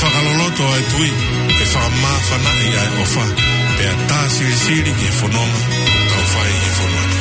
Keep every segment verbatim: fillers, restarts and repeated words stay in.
Fakaloloto ʻa e tui, ʻe fakamāfanaʻi ʻa e ʻofa, pea tā silisili ki he fononga ʻoku tau fai ʻi he fonua ni.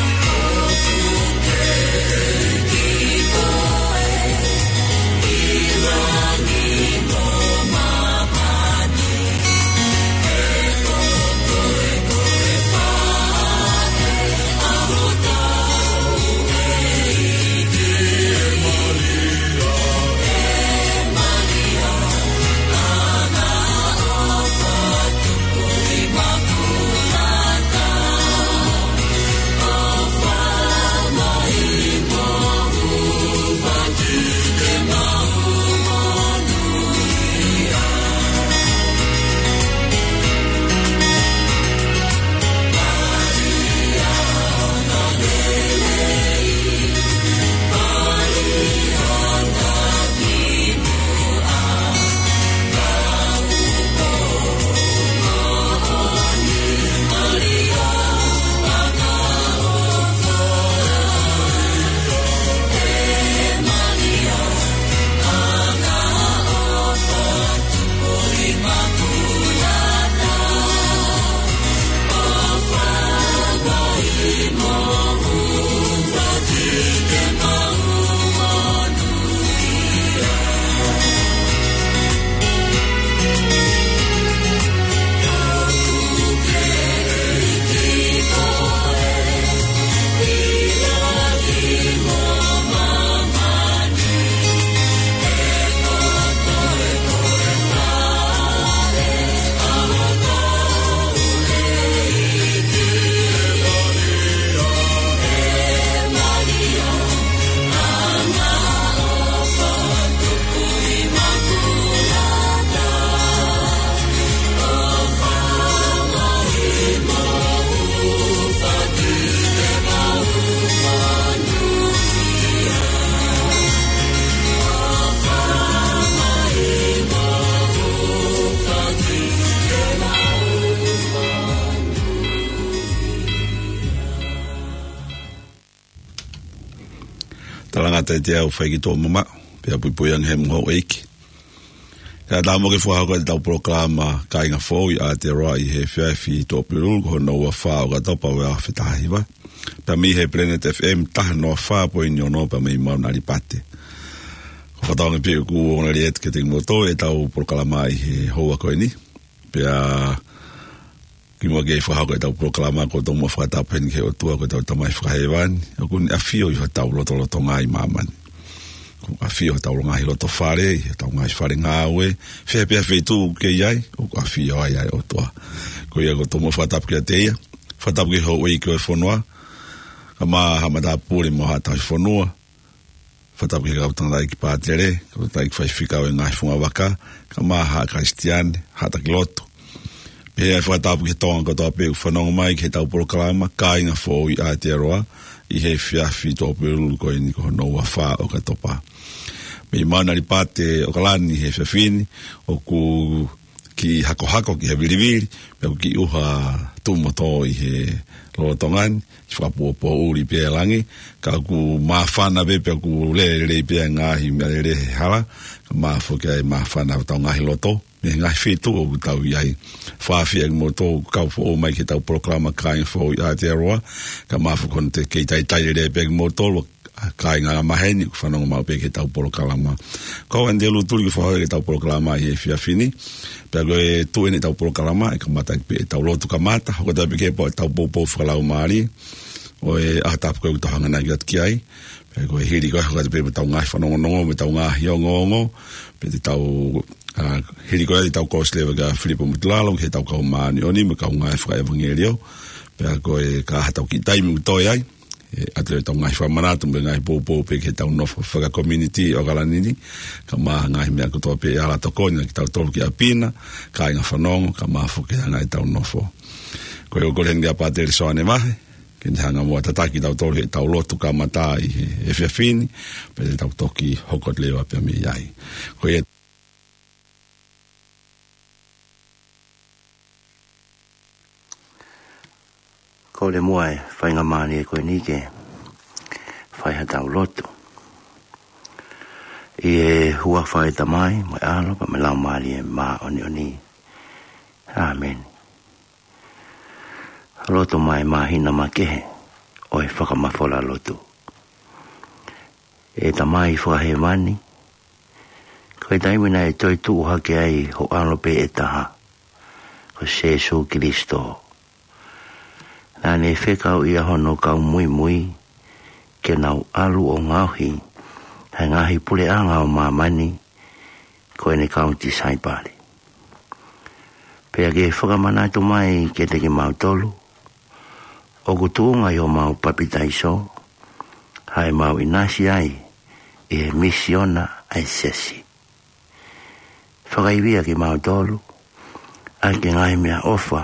Talangata ʻiate au fai ki tō mama, pea puipui ange he moho ʻeiki. ʻIa tā mo ke fakahoko ʻetau polokalama Kāinga Foʻou ʻi Aotearoa ʻi he efiafi Tuʻapulelulu ko hono ua fā ʻo ʻOkatopa ua afe taha hiva. Pea mei he Planet F M taha noa fā poini ono pea mei Mauna Alipate. Ko e fakatauange pē ʻoku ongoongolelei atu kiate kimoutolu ʻetau polokalama ʻi he houa ko eni. Pea kimuʻa ke fakahoko ʻetau polokalama, ʻoku ou tomuʻa fakatapu heni ki he ʻOtua ko hotau Tamai Fakahēvani, ʻoku ne ʻafio ʻi hotau lotolotonga ʻi māmani. ʻOku ʻafio ʻi hotau ngaahi loto fale, ʻi hotau ngaahi fale ngāue, fē pē ha feituʻu ʻoku ke ʻi ai, ʻoku ʻafio ai ʻa e ʻOtua. Ko ia ʻoku ou tomuʻa fakatapu kiate ia, fakatapu ki he houʻeiki ʻo e fonua, kae ʻumaʻā haʻa matāpule mo haʻa tauhi fonua, fakatapu ki he kau tangataʻeiki pātele, kau tangataʻeiki faifekau ʻo e ngaahi fungavaka, kae ʻumaʻā haʻa Kalisitiane, haʻa taki lotu. Pea fakatapu ki he Tonga kotoa pē ʻoku fanongo mai ki heʻetau polokalama Kāinga Foʻou ʻi Aotearoa, ʻi he efiafi Tuʻapulelulu ko eni ko hono ua fā ʻo ʻOkatopa. Mei Mauna Alipate ʻAokalani he efiafi ni, ʻoku kiʻi hakohako ki he vilivili, pea ʻoku kiʻi ʻuha tuʻumotu ʻi he lolotonga ni, kiʻi fakapoʻuli pē ʻa e langi, ka ʻoku māfana pē pea ʻoku lele lelei pē ʻa e ngaahi meʻalele he hala, kae ʻumaʻā foki ʻa e māfana ʻo hotau ngaahi loto, mei he ngaahi feituʻu ʻoku tau ʻi ai. Fakaafeʻi kimoutolu ʻoku kau foʻou mai ki heʻetau polokalama Kāinga Foʻou ʻi Aotearoa, kae ʻumaʻā foki hono teʻeki ke talitali lelei pē kimoutolu, ʻa e kāinga angamaheni ʻoku fanongo maʻu pē ki heʻetau polokalama. Ko au ʻAnitelū Tuli ʻoku fakahoko ʻetau polokalama ʻi he efiafi ni. Pea ko e tuʻu eni ʻetau polokalama, ʻe kamata pē ʻetau lotu kamata, hoko atu pē ki he pō ʻetau poupou fakalaumālie ʻo e ʻaho tapu ko ē ʻoku tau hanganaki atu ki ai. Pea ko e hili ko ē hoko atu pē mo ʻetau ngaahi fanongonongo, mo ʻetau ngaahi ongoongo, pea te tau, ʻa, hili ko ē te tau kōsileva kia Filipo Mutulalo, ki heʻetau kau māʻoniʻoni, mo e kau ngāue fakaʻevangeliō. Pea ko e ka ʻi ai haʻatau kiʻi taimi ʻoku toe ai, ʻe ʻoatu ʻetau ngaahi fakamanatu mo e ngaahi poupou pē ki heʻetau nofo fakakomiunitī ʻo ʻAokalani ni, kae ʻumaʻā ngaahi meʻa kotoa pē ʻe ala tokoni kitautolu ki ʻapi na, kāinga fanongo, kae ʻumaʻā foki ʻa e anga ʻetau nofo. Ko ia ʻoku ou kole heni kia Pātele Soane Vahe, ke ne hanga muʻa ʻo tataki kitautolu heʻetau lotu kamata ʻi he efiafi ni, pea te tau toki hoko atu leva pē mei ai. Ko ia Kole muʻa ʻe faingamālie ko eni ke fai haʻatau lotu. ʻI ʻI he huafa ʻo e Tamai, mo e ʻAlo, pea mo e Laumālie Māʻoniʻoni. ʻĀmeni. Lotu mai māhina makehe ʻo e fakamafola lotu. ʻE Tamai Fakahēvani, ko e taimi naʻe toe tuʻu hake ai ho ʻAlo pē ʻe taha, ko Sēsū Kilisitō, naʻa ne fekauʻi ʻa hono kau muimui ke nau ʻalu ʻo ngaohi ʻa e ngaahi puleʻanga ʻo māmani, ko ʻene kau tisaipale. Pea ke fakamanatu mai kiate kimautolu, ʻoku tuʻunga ʻi homau papitaiso ʻa ʻemau ʻinasi ai ʻi he misiona ʻa e siasi. Fakaivia kimautolu ʻaki e ngaahi meʻaʻofa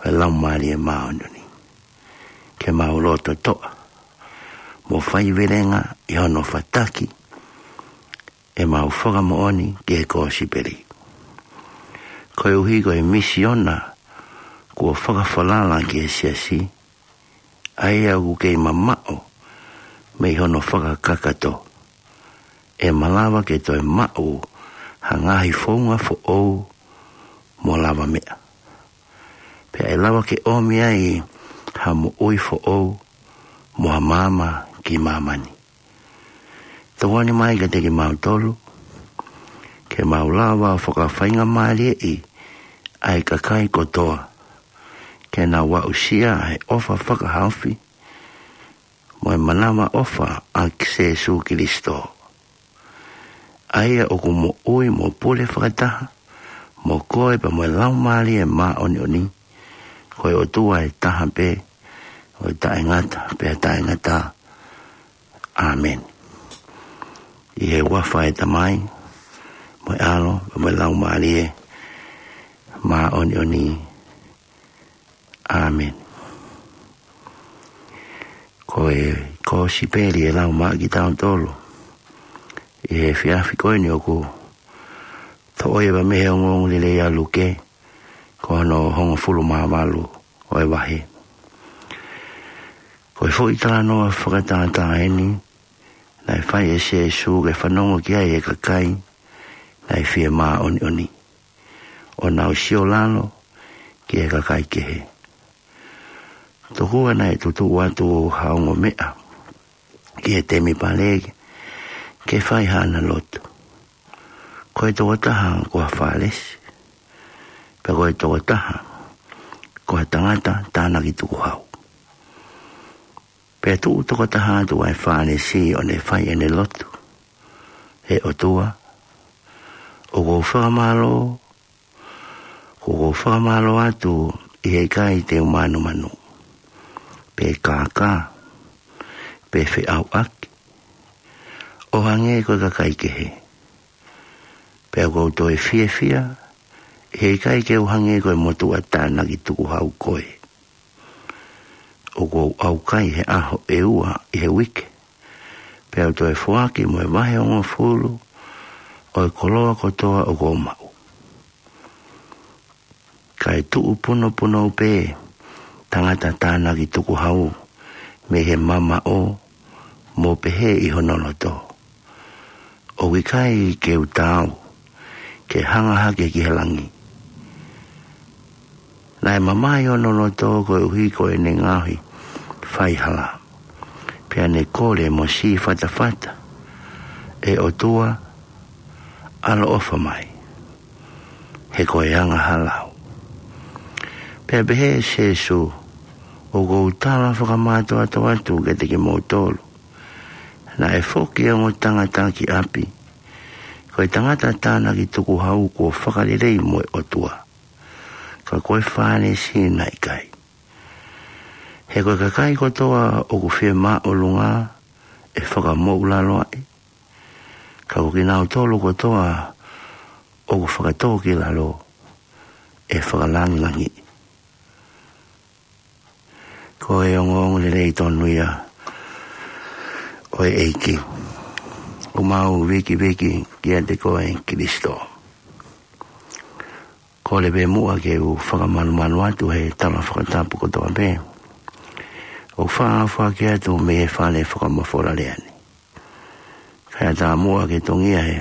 ʻo e Laumālie Māʻoniʻoni, ke mau loto toʻa mo faivelenga ʻi hono fataki ʻemau fakamoʻoni ki he kosipeli. Koeʻuhi ko e misiona kuo fakafalala ki he siasi, ʻa ia ʻoku kei mamaʻo mei hono fakakakato, ʻe malava ke toe maʻu ha ngaahi founga foʻou mo lavameʻa, pea ʻe lava ke ʻomi ai ha moʻui foʻou mo ha maama ki māmani. Tokoni mai kiate kimautolu ke mau lava ʻo fakafaingamālieʻi ʻa e kakai kotoa ke nau aʻusia ʻa e ʻofa fakahaofi mo e manavaʻofa ʻa Sēsū Kilisitō, ʻa ia ʻoku moʻui mo pule fakataha mo koe pea mo e Laumālie Māʻoniʻoni, ko e ʻOtua ʻe taha pē, ʻo taʻengata pea taʻengata. ʻĀmeni. ʻI he huafa ʻo e Tamai, mo e ʻAlo, mo e Laumālie Māʻoniʻoni. ʻĀmeni. Ko e kosipeli ʻe lau maʻa kitautolu ʻi he efiafi ko eni ʻoku toʻo ia mei he ongoongolelei ʻa Luke, ko hono hongofulu mā valu ʻo e vahe. Ko e foʻi talanoa fakatātā eni naʻe fai ʻe Sēsū ke fanongo ki ai e kakai naʻe fie māʻoniʻoni, ʻo nau siolalo ki he kakai kehe. Tokua naʻe tutuʻu atu ha ongo meʻa ki he temipale ke fai haʻana lotu. Ko e tokotaha ko ha Fālesi, pea ko e tokotaha ko ha tangata tānaki tukuhau. Pea tuʻu tokotaha atu ʻa e Fālesi ʻo ne fai ʻene lotu: ʻE ʻOtua, ʻoku ou fakamālō, ʻoku ou fakamālō atu ʻi he ʻikai te u mānumanu, pe kākā, pe feʻauʻaki, ʻo hangē ko e kakai kehe. Pea ʻoku ou toe fiefia ʻi he ʻikai ke u hangē ko e motuʻa tānaki tukuhau ko ē. ʻOku ou ʻaukai he ʻaho ʻe ua ʻi he uike, pea u toe foaki mo e vahe hongofulu ʻo e koloa kotoa ʻoku ou maʻu. Kae tuʻu punopunou pē tangata tānaki tukuhau mei he mamaʻo, mo pehē ʻi hono loto: ʻOku ʻikai ke u taau ke hanga hake ki he langi. Naʻe mamahi hono loto koeʻuhi ko ʻene ngaohi faihala, pea ne kole mo sīfatafata: ʻE ʻOtua, ʻaloʻofa mai, he ko e angahala au. Pea pehē ʻe Sēsū: ʻOku ou tala fakamātoato atu kiate kimoutolu, naʻe foki e ongo tangata ki ʻapi, ko e tangata tānaki tukuhau kuo fakalelei mo e ʻOtua, ka ko e Fālesi naʻe ʻikai. He ko e kakai kotoa ʻoku fie māʻolunga ʻe fakamoʻulaloaʻi, ka ko kinautolu kotoa ʻoku fakatōkilalo ʻe fakalangilangiʻi. Ko e ongoongolelei tonu ia ʻo e ʻEiki. ʻOku mau vikiviki kiate koe Kilisitō. Kole pē muʻa ke u fakamalumalu atu he tala fakatapu kotoa pē ʻoku faʻa foaki atu mei he fale fakamafola lea ni. Kae ʻatā muʻa ke tongia he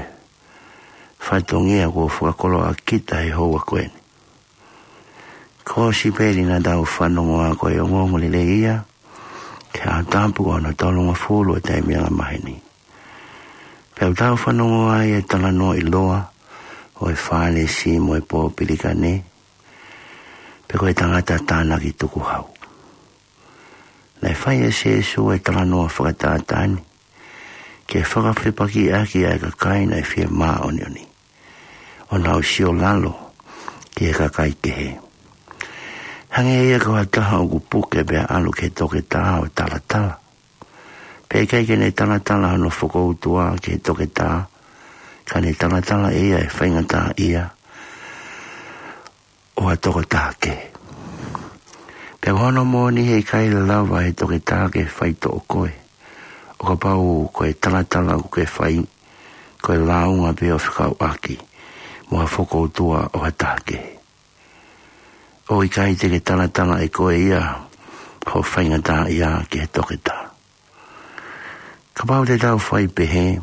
fatongia kuo fakakoloa kita he houa ko eni. Kōsipeli naʻa tau fanongo ʻa ko e ongoongolelei ia, ki he ʻaho tapu ko hono tolungofulu ʻo e taimi angamaheni. Pea ʻoku tau fanongo ai e talanoa ʻiloa ʻo e Fālesi mo e pōpilikane, pe ko e tangata tānaki tukuhau. Naʻe fai ʻe Sēsū e talanoa fakatātā ni, ke fakafepakiʻaki ʻa e kakai naʻe fie māʻoniʻoni, ʻo nau siolalo ki he kakai kehe. Hangē ia ko ha taha ʻoku puke pea ʻalu ki he toketā ʻo talatala. Pea ʻikai ke ne talatala hono fokoutua ki he toketā, ka ne talatala ʻe ia e faingataʻaʻia ʻo ha tokotaha kehe. Pea ko hono moʻoni he ʻikai lava he toketā ke faitoʻo koe, ʻo kapau ko e talatala ʻoku ke fai, ko e lāunga pē ʻo fekauʻaki mo ha fokoutua ʻo ha taha kehe. ʻOku ʻikai te ke talatala ʻe koe ia ho faingataʻaʻia ki he toketā. Kapau te tau fai pehē,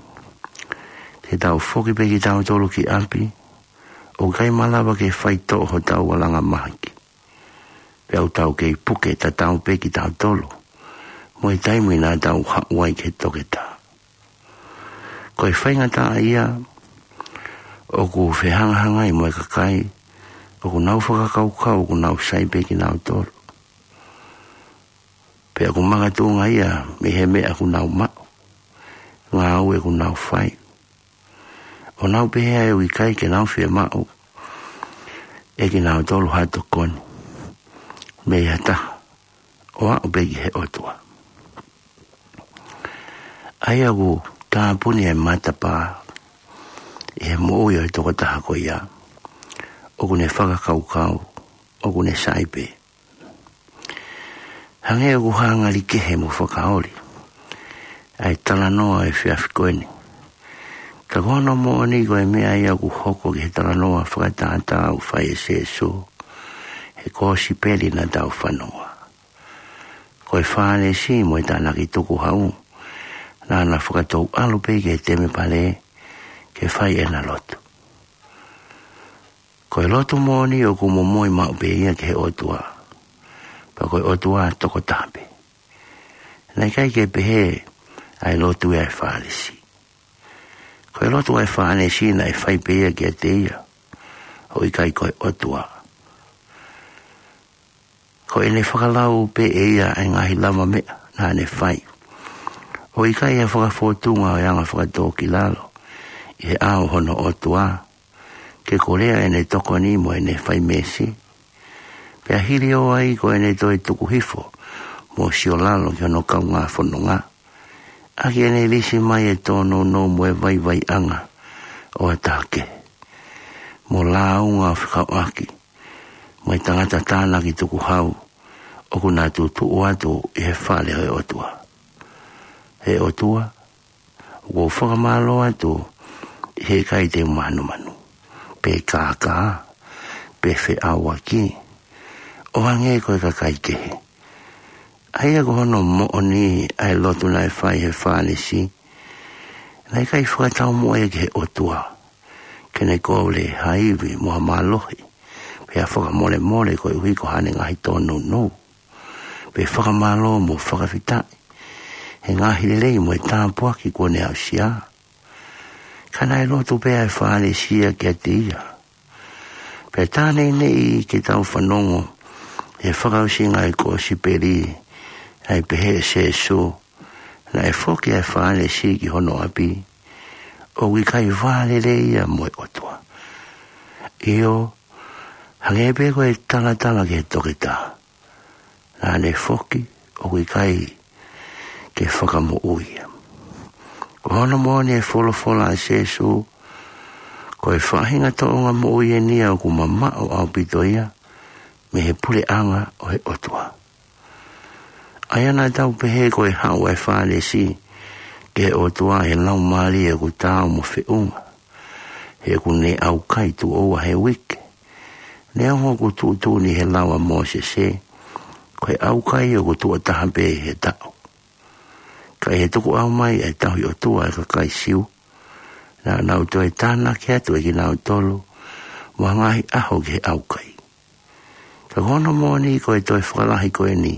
te tau foki pē kitautolu ki ʻapi, ʻoku ʻikai malava ke faitoʻo hotau ʻalunga mahaki. Pea ʻoku tau kei puke tatau pē kitautolu mo e taimi naʻa tau haʻu ai ki he toketā. Ko e faingataʻaʻia ʻoku fehangahangai mo e kakai ʻoku nau fakakaukau ʻoku nau sai pē kinautolu. Pea ʻoku makatuʻunga ia mei he meʻa ʻoku nau maʻu, ngāue ʻoku nau fai. ʻO nau pehē ai ʻoku ʻikai ke nau fiemaʻu ʻe kinautolu ha tokoni mei ha taha, ʻo aʻu pē ki he ʻOtua. ʻA ia ʻoku tāpuni e matapā ʻi he moʻui ʻo e tokotaha ko ia ʻoku ne fakakaukau ʻoku ne sai pē. Hangē ʻoku hā ngali kehe mo fakaoli ʻa e talanoa ʻo e efiafi ko eni. Ka ko hono moʻoni ko e meʻa ia ʻoku hoko ki he talanoa fakatātā ʻoku fai ʻe Sēsū he kōsipeli naʻa tau fanongo. Ko e Fālesi mo e tānaki tukuhau, naʻa na fakatou ʻalu pē ki he temipale ke fai ʻena lotu. Ko e lotu moʻoni ʻoku momoi maʻu pē ia ki he ʻOtua. Pea ko e ʻOtua tokotaha pē. Naʻe ʻikai ke pehē ʻa e lotu ia ʻa e Fālesi. Ko e lotu ʻa e Fālesi naʻe fai pē ia kiate ia, ʻo ʻikai ko e ʻOtua. Ko ʻene fakalau pē ʻe ia ʻa e ngaahi lavameʻa naʻa ne fai, ʻo ʻikai ha fakafōtunga ʻo e anga fakatōkilalo ʻi he ʻao hono ʻOtua, ke kolea ʻene tokoni mo ʻene fai meesi. Pea hili ʻo ai ko ʻene toe tuku hifo mo siolalo ki hono kaungā fononga, ʻaki ʻene lisi mai e tōnounou mo e vaivaiʻanga ʻo ha taha kehe, mo lāunga ʻo fekauʻaki mo e tangata tānaki tukuhau ʻoku na tutuʻu atu ʻi he fale ʻo e ʻOtua. ʻE ʻOtua, ʻoku ou fakamālō atu ʻi he ʻikai te u manumanu, pe kākā, pe feʻauaki, ʻo hangē ko e kakai kehe. ʻA ia ko hono moʻoni ʻa e lotu naʻe fai ʻe he Fālesi, naʻe ʻikai fakataumuʻa ia ki he ʻOtua ke ne kole ha ivi mo ha mālohi, pe ha fakamolemole koeʻuhi ko haʻane ngaahi tōnounou, pe fakamālō mo fakafetaʻi he ngaahi lelei mo e tāpuaki kuo ne aʻusia. Ka naʻe lotu pē ʻa e Fālesi ia kiate ia. Pea tā neʻineʻi ke tau fanongo he fakaʻosinga ʻo e kōsipeli ʻa e pehē ʻe Sēsū, naʻe foki ʻa e Fālesi ki hono ʻapi, ʻoku ʻikai vālelei ia mo e ʻOtua. ʻIo, hangē pē ko e talatala ki he toketā, naʻa ne foki ʻoku ʻikai ke fakamoʻui ia. Ko hono moʻoni e folofola ʻa Sēsū, ko e faʻahinga tōʻonga moʻui eni ia ʻoku mamaʻo ʻaupito ia mei he puleʻanga ʻo e ʻOtua. ʻA ia naʻa tau pehē ko e haʻu ʻa e Fālesi ki he ʻOtua he laumālie ʻoku taau mo feʻunga, he ʻoku ne ʻaukai tuʻo ua he uike. Neongo ʻoku tuʻutuʻuni he lao ʻa Mōsese, ko e ʻaukai ʻoku tuʻo taha pē he taʻu. Ka ʻi he tukuʻau mai ʻa e tauhi ʻOtua ʻa e kakai Siu, naʻa nau toe tānaki atu ʻe kinautolu mo ha ngaahi ʻaho ki he ʻaukai. Ka ko hono moʻoni ko e toe fakalahi ko eni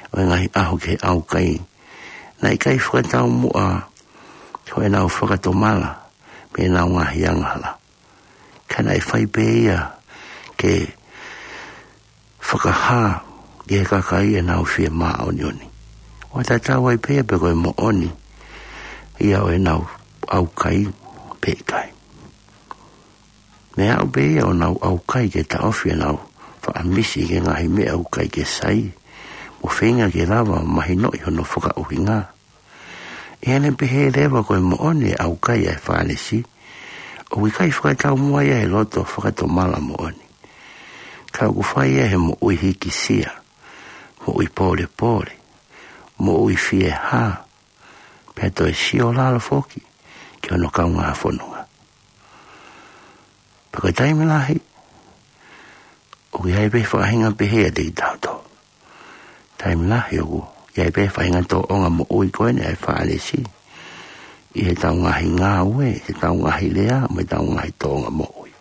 ʻo e ngaahi ʻaho ki he ʻaukai, naʻe ʻikai fakataumuʻa ko ʻenau fakatomala mei heʻenau ngaahi angahala. Ka naʻe fai pē ia ke fakahā ki he kakai ʻenau fie māʻoniʻoni. ʻO tatau ai pē ia pe ko e moʻoni ia ʻo ʻenau ʻaukai pe ʻikai. Meʻa aʻu pē ia ʻo nau ʻaukai ke taʻofi ʻenau faʻa misi ki he ngaahi meʻa ʻoku ʻikai ke sai, mo feinga ke lava mahinoʻi hono fakaʻuhinga. ʻI heʻene pehē leva ko e moʻoni e ʻaukai ʻa e Fālesi, ʻoku ʻikai fakataumuʻa ia he loto fakatomala moʻoni. Ka ʻoku fai ia he moʻui hikisia, moʻui pōlepole, moʻui fiehā, pea toe sio lalo foki ki hono kaungā fononga. Pea ko e taimi lahi, ʻoku ʻi ai pē faʻahinga pehē ʻiate kitautolu. Taimi lahi ʻoku ʻi ai pē faʻahinga tōʻonga moʻui ko eni ʻa e Fālesi ʻi heʻetau ngaahi ngāue, heʻetau ngaahi lea, mo ʻetau ngaahi tōʻonga moʻui.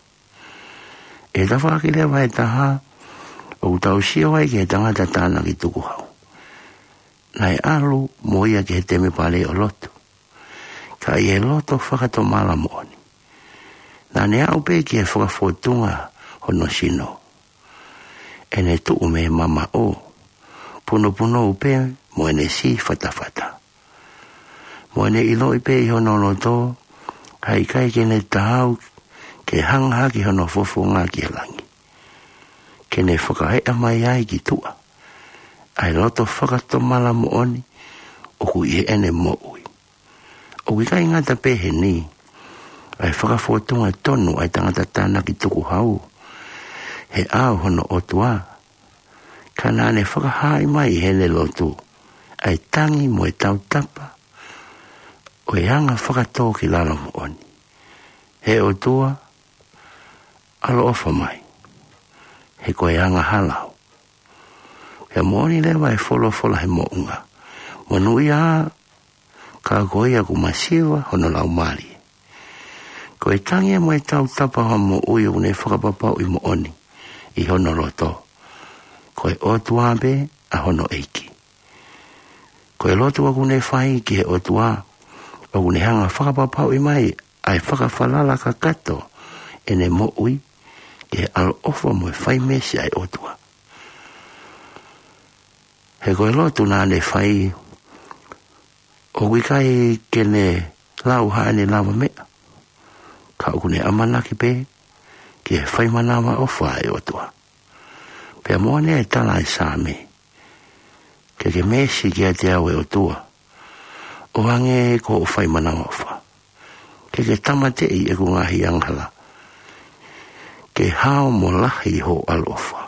ʻI he tafaʻaki leva ʻe taha, ʻoku tau sio ai ki he tangata tānaki tukuhau. Naʻe ʻalu mo ia ki he temipale ʻo lotu. Ka ʻi he loto fakatomala moʻoni, naʻa ne aʻu pē ki he fakafōtunga hono sino. ʻEne tuʻu mei he mamaʻo, punopunou pē mo ʻene sī fatafata. Mo ʻene ʻiloʻi pē ʻi hono loto, ʻa e ʻikai ke ne taau ke hanga hake hono fofonga ki he langi, ke ne fakaeʻa mai ai ki tuʻa ʻa e loto fakatomala moʻoni ʻoku ʻi heʻene moʻui. ʻOku ʻikai ngata pē heni ʻa e fakafōtunga tonu ʻa e tangata tānaki tukuhau he ʻao hono ʻOtua, ka naʻa ne fakahaaʻi mai ʻi heʻene lotu ʻa e tangi mo e tautapa ʻo e anga fakatōkilalo moʻoni. He ʻOtua, ʻaloʻofa mai, he ko e angahala au. Pea moʻoni leva e folofola he moʻunga: Monūʻia ā, ka ko ia ʻoku masiva hono laumālie. Ko e tangi mo e tautapa ʻo ha moʻui ʻoku ne fakapapauʻi moʻoni ʻi hono loto ko e ʻOtua pē ʻa hono ʻEiki. Ko e lotu ʻoku ne fai ki he ʻOtua, ʻoku ne hanga fakapapauʻi mai ʻa e fakafalala kakato ʻene moʻui ki he ʻaloʻofa mo e fai meesi ʻa e ʻOtua. He ko e lotu naʻa ne fai, ʻoku ʻikai ke ne lau haʻane lavameʻa, ka ʻoku ne ʻamanaki pē ki he fai manavaʻofa ʻa e ʻOtua. Pea moʻoni e tala ʻa e Saame: Ke ke meesi kiate au, ʻe ʻOtua, ʻo hangē ko hoʻo fai manavaʻofa. Ke ke tāmateʻi ʻeku ngaahi angahala, ke hao mo lahi hoʻo ʻaloʻofa.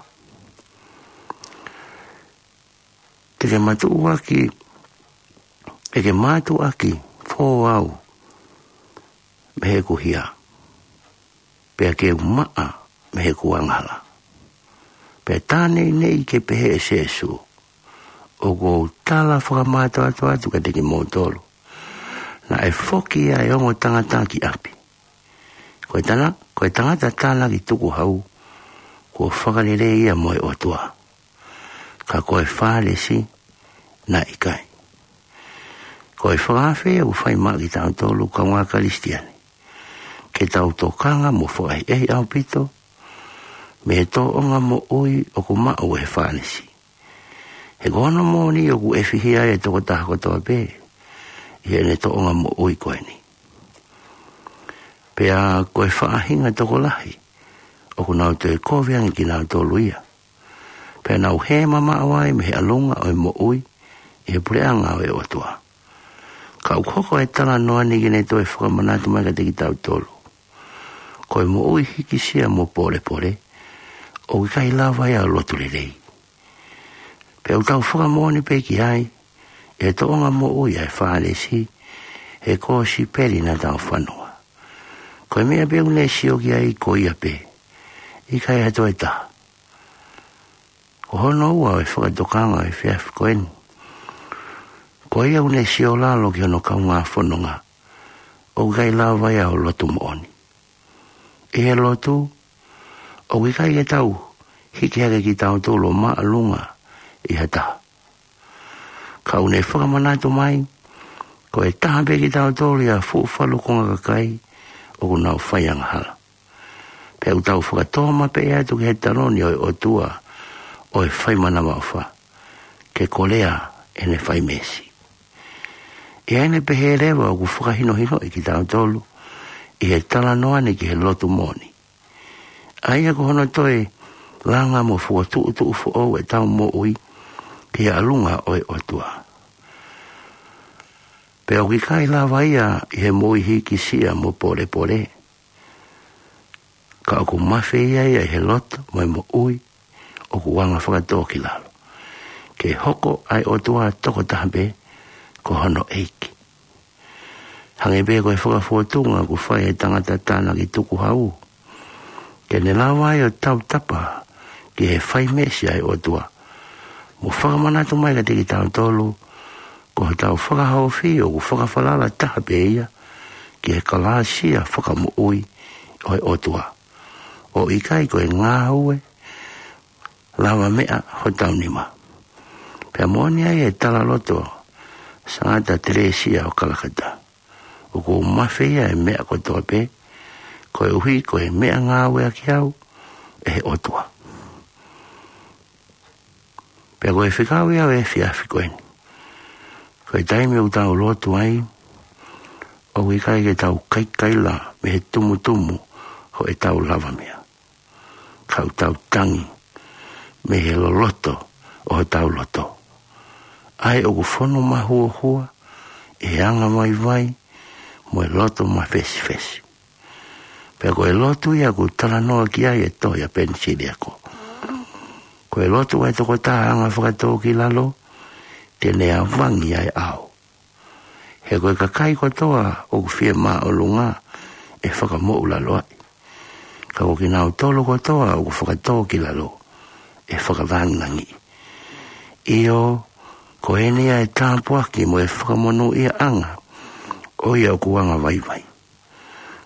Ke ke mātuʻaki, ke ke mātuʻaki fō au mei heʻeku hia, pea ke u maʻa mei heʻeku angahala. Pea tā neʻineʻi ke pehē ʻe Sēsū, ʻoku ou tala fakamātoato atu kiate kimoutolu, naʻe foki ʻa e ongo tangata ki ʻapi. Ko e tana-, ko e tangata tānaki tukuhau, kuo fakalelei ia mo e ʻOtua. Ka ko e Fālesi, naʻe ʻikai. Ko e fakaafe ʻoku fai maʻa kitautolu kaungā Kalisitiane, ke tau tokanga mo fakaʻehiʻehi ʻaupito mei he tōʻonga moʻui ʻoku maʻu ʻe he Fālesi. He ko hono moʻoni ʻoku ʻefihia e tokotaha kotoa pē ʻi heʻene tōʻonga moʻui ko eni. Pea ko e faʻahinga tokolahi ʻoku nau toe kovi ange kinautolu ia, pea nau hē mamaʻo ai mei he ʻalunga ʻo e moʻui ʻi he puleʻanga ʻo e ʻOtua. Ka ʻoku hoko e talanoa ni ke ne toe fakamanatu mai kiate kitautolu, ko e moʻui hikisia mo pōlepole, ʻoku ʻikai lava ia ʻo lotu lelei. Pea ʻoku tau fakamoʻoni pē ki ai ʻi he tōʻonga moʻui ʻa e Fālesi he kosipeli naʻa tau fanongoa. Ko e meʻa pē ʻoku ne sio ki ai ko ia pē, ʻikai ha toe taha. Ko hono ua ʻo e fakatokanga ʻo e efiafi ko eni, ko ʻo ia ʻoku ne siolalo ki hono kaungā fononga, ʻoku ʻikai lava ia ʻo lotu moʻoni. ʻI he lotu, ʻoku ʻikai ke tau hiki hake kitautolu ʻo māʻolunga ʻi ha taha. Ka ʻoku ne fakamanatu mai, ko e taha pē kitautolu ʻi ha fuʻu falukunga kakai ʻoku nau fai angahala. Pea ʻoku tau fakatōmapeʻe atu ki he taloni ʻo e ʻOtua ʻo e faimanavaʻofa, ke kolea ʻene fai meesi. ʻI heʻene pehē leva ʻoku fakahinohinoʻi kitautolu ʻi he talanoa ni ki he lotu moʻoni, ʻa ia ko hono toe langa mo fokotuʻutuʻu foʻou ʻetau moʻui ki he ʻalunga ʻo e ʻOtua. Pea ʻoku ʻikai lava ia ʻi he moʻui hīkisia mo pōlepole, ka ʻoku mafeia ia ʻi he lotu mo e moʻui ʻoku anga fakatōkilalo, ke hoko ʻa e ʻOtua tokotaha pē ko hono ʻEiki. Hangē pē ko e fakafotunga ʻoku fai ʻe he tangata tānaki tukuhau, ke ne lava ai ʻo tautapa ki he fai meesi ʻa e ʻOtua, mo fakamanatu mai kiate kitautolu, ko hotau fakahaofi ʻoku fakafalala taha pē ia ki he kalāsia fakamoʻui ʻo e ʻOtua, ʻo ʻikai ko e ngāue lavameʻa hotau nima. Pea moʻoni ai e talaloto ʻa Sangata Telesia ʻo Kalakata: ʻOku ou mafeia e meʻa kotoa pē, koeʻuhi ko e meʻangāueʻaki au ʻe he ʻOtua. Pea ko e fekau ia ʻo e efiafi ko eni: ko e taimi ʻoku tau lotu ai, ʻoku ʻikai ke tau kaikaila mei he tumutumu ʻo ʻetau lavameʻa, ka ʻoku tau tangi mei he loloto ʻo hotau loto, ʻa ia ʻoku fonu mahuohua ʻi he angavaivai mo e loto mafesifesi. Pea ko e lotu ia ʻoku talanoa ki ai e tohi ʻa Penisiliako. Ko e lotu ʻa e tokotaha anga fakatōkilalo, te ne avangi ʻa e ʻao. He ko e kakai kotoa ʻoku fie māʻolunga ʻe fakamoʻulaloaʻi, ka ko kinautolu kotoa ʻoku fakatōkilalo ʻe fakalangilangiʻi. ʻIo, ko eni ia e tāpuaki mo e fakamonūʻiaʻanga ʻo ia ʻoku angavaivai.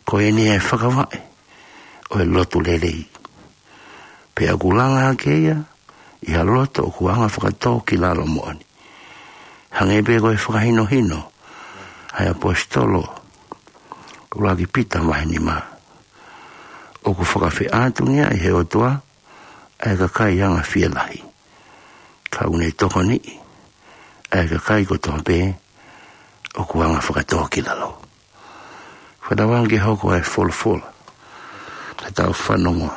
Ko eni e fakavaʻe ʻo e lotu lelei. Pea ʻoku langa hake ia ʻi ha loto ʻoku anga fakatōkilalo moʻoni. Hangē pē ko e fakahinohino ʻa e ʻaposetolo ʻuluaki Pita vahe nima: ʻOku fakafeʻātungiaʻi ʻe he ʻOtua ʻa e kakai anga fielahi, ka ʻoku ne tokoniʻi ʻa e kakai kotoa pē ʻoku anga fakatōkilalo. Fakatauange ke hoko ʻa e folofola ke tau fanongoa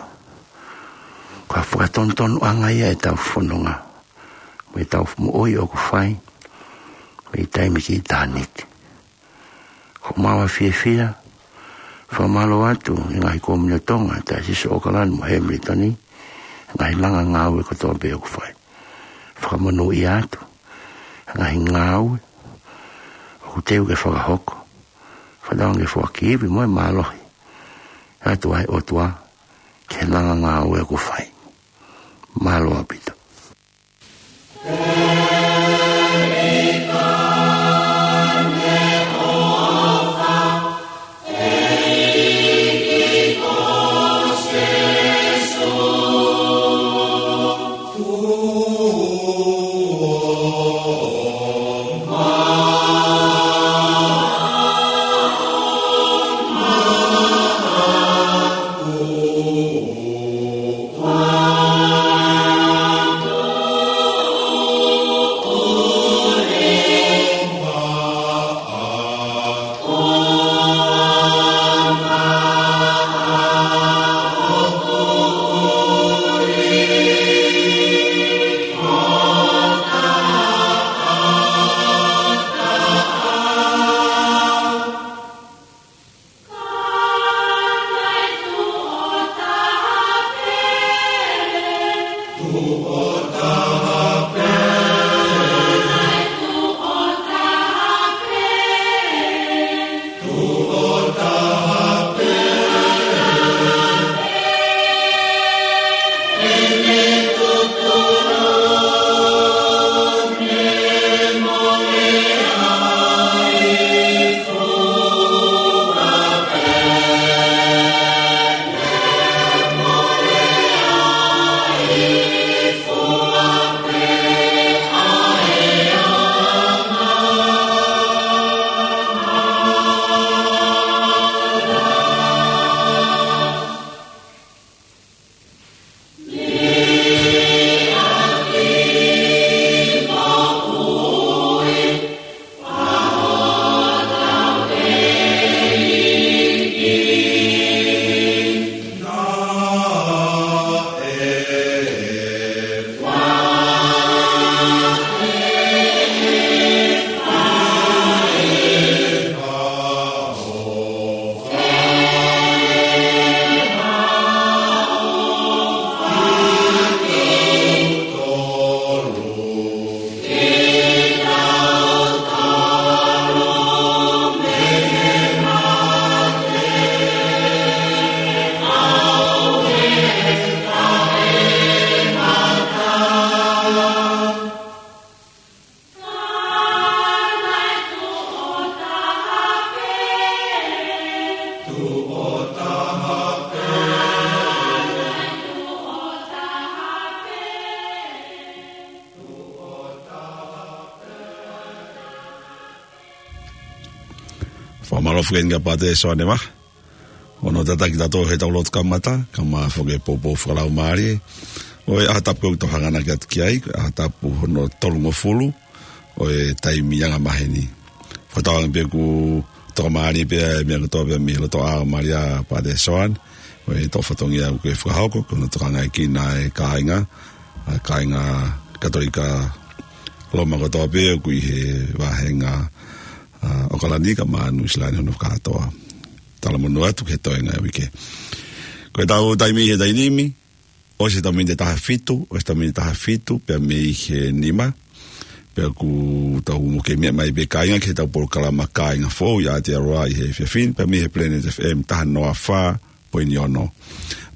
ko ha fakatonutonuʻanga ia ʻetau fononga mo ʻetau moʻui ʻoku fai mei taimi ki ʻitāniti. Ko ʻemau fiefia, fakamālō atu ʻi he ngaahi Kōmini ʻo Tonga, Taiosisi ʻo ʻOkalani mo Hemilitoni, ngaahi langa ngāue kotoa pē ʻoku fai. Fakamonūʻia atu ngaahi ngāue ʻoku teu ke fakahoko. Fakatauange ke foaki ivi mo e mālohi atu ʻa e ʻOtua ki he langa ngāue ʻoku fai. Mālō ʻaupito. Fakamālō foki kia Pātele Soane Vahe hono tataki kitautolu he tau lotu kamata, kae ʻumaʻā foki e poupou fakalaumālie ʻo e ʻaho tapu ko ē ʻoku tau hanganaki atu ki ai, ʻaho tapu hono tolungofulu ʻo e taimi angamaheni. Fakatauange pē ʻoku tokamālie pē ʻa e meʻa kotoa pē mei he lotoʻā ʻo Malia, Pātele Soane, ʻo e toʻo fatongia ʻoku ke fakahoko, ko hono tokangaekina e kāinga, ʻa e kāinga Katolika Loma kotoa pē ʻoku ʻi he vāhenga, ʻa, ʻAokalani kae ʻumaʻā Nuʻu Sila ni hono fakakātoa. Talamonū atu ki he toenga e uike. Ko e tau taimi he taimi ni, ʻosi e tau miniti ʻe taha fitu, ʻosi e tau miniti ʻe taha fitu pea mei he nima. Pea ʻoku tau muke meʻa mai pē kāinga ki he tau polokalama kāinga foʻou ʻi Aotearoa ʻi he efiafi ni, pea mei he Planet F M taha noa fā poini ono.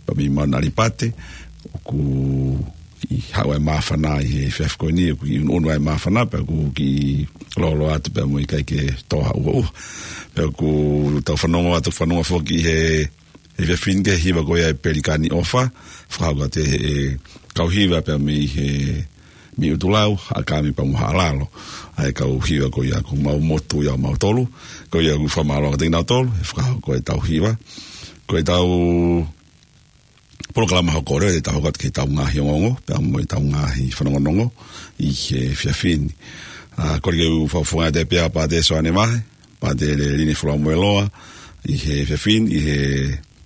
Pea mei Mauna Alipate, ʻoku kiʻi haʻu ʻa e māfana ʻi he efiafi ko eni, ʻoku kiʻi ʻunuʻunu ʻa e māfana, pea ʻoku kiʻi lōloa atu pea mo e ʻikai ke tō ha ʻuhoʻuho. Pea ʻoku tau fanongo atu, fanongo foki he, he efiafi ni ki he hiva ko ia ʻa e Pelikani ʻOfa, fakahoko atu ʻe he, e, kau hiva pea mei he, mei ʻUtulau, Haʻakame pea mo Haʻalalo. ʻA e kau hiva ko ia ʻoku mau motu ia ʻo mautolu, ko ia ʻoku fakamālō kiate kinautolu he fakahoko e tau hiva. Ko e tau polokalama hoko leva ʻe tau hoko atu ki he tau ngaahi ongoongo, pea mo e tau ngaahi fanongonongo ʻi he efiafi ni. ʻA, kole ke u fakafofonga atu pē ʻa Pātele Soane Vahe, Pātele Lini Folamoeloa, ʻi he efiafi ni, ʻi he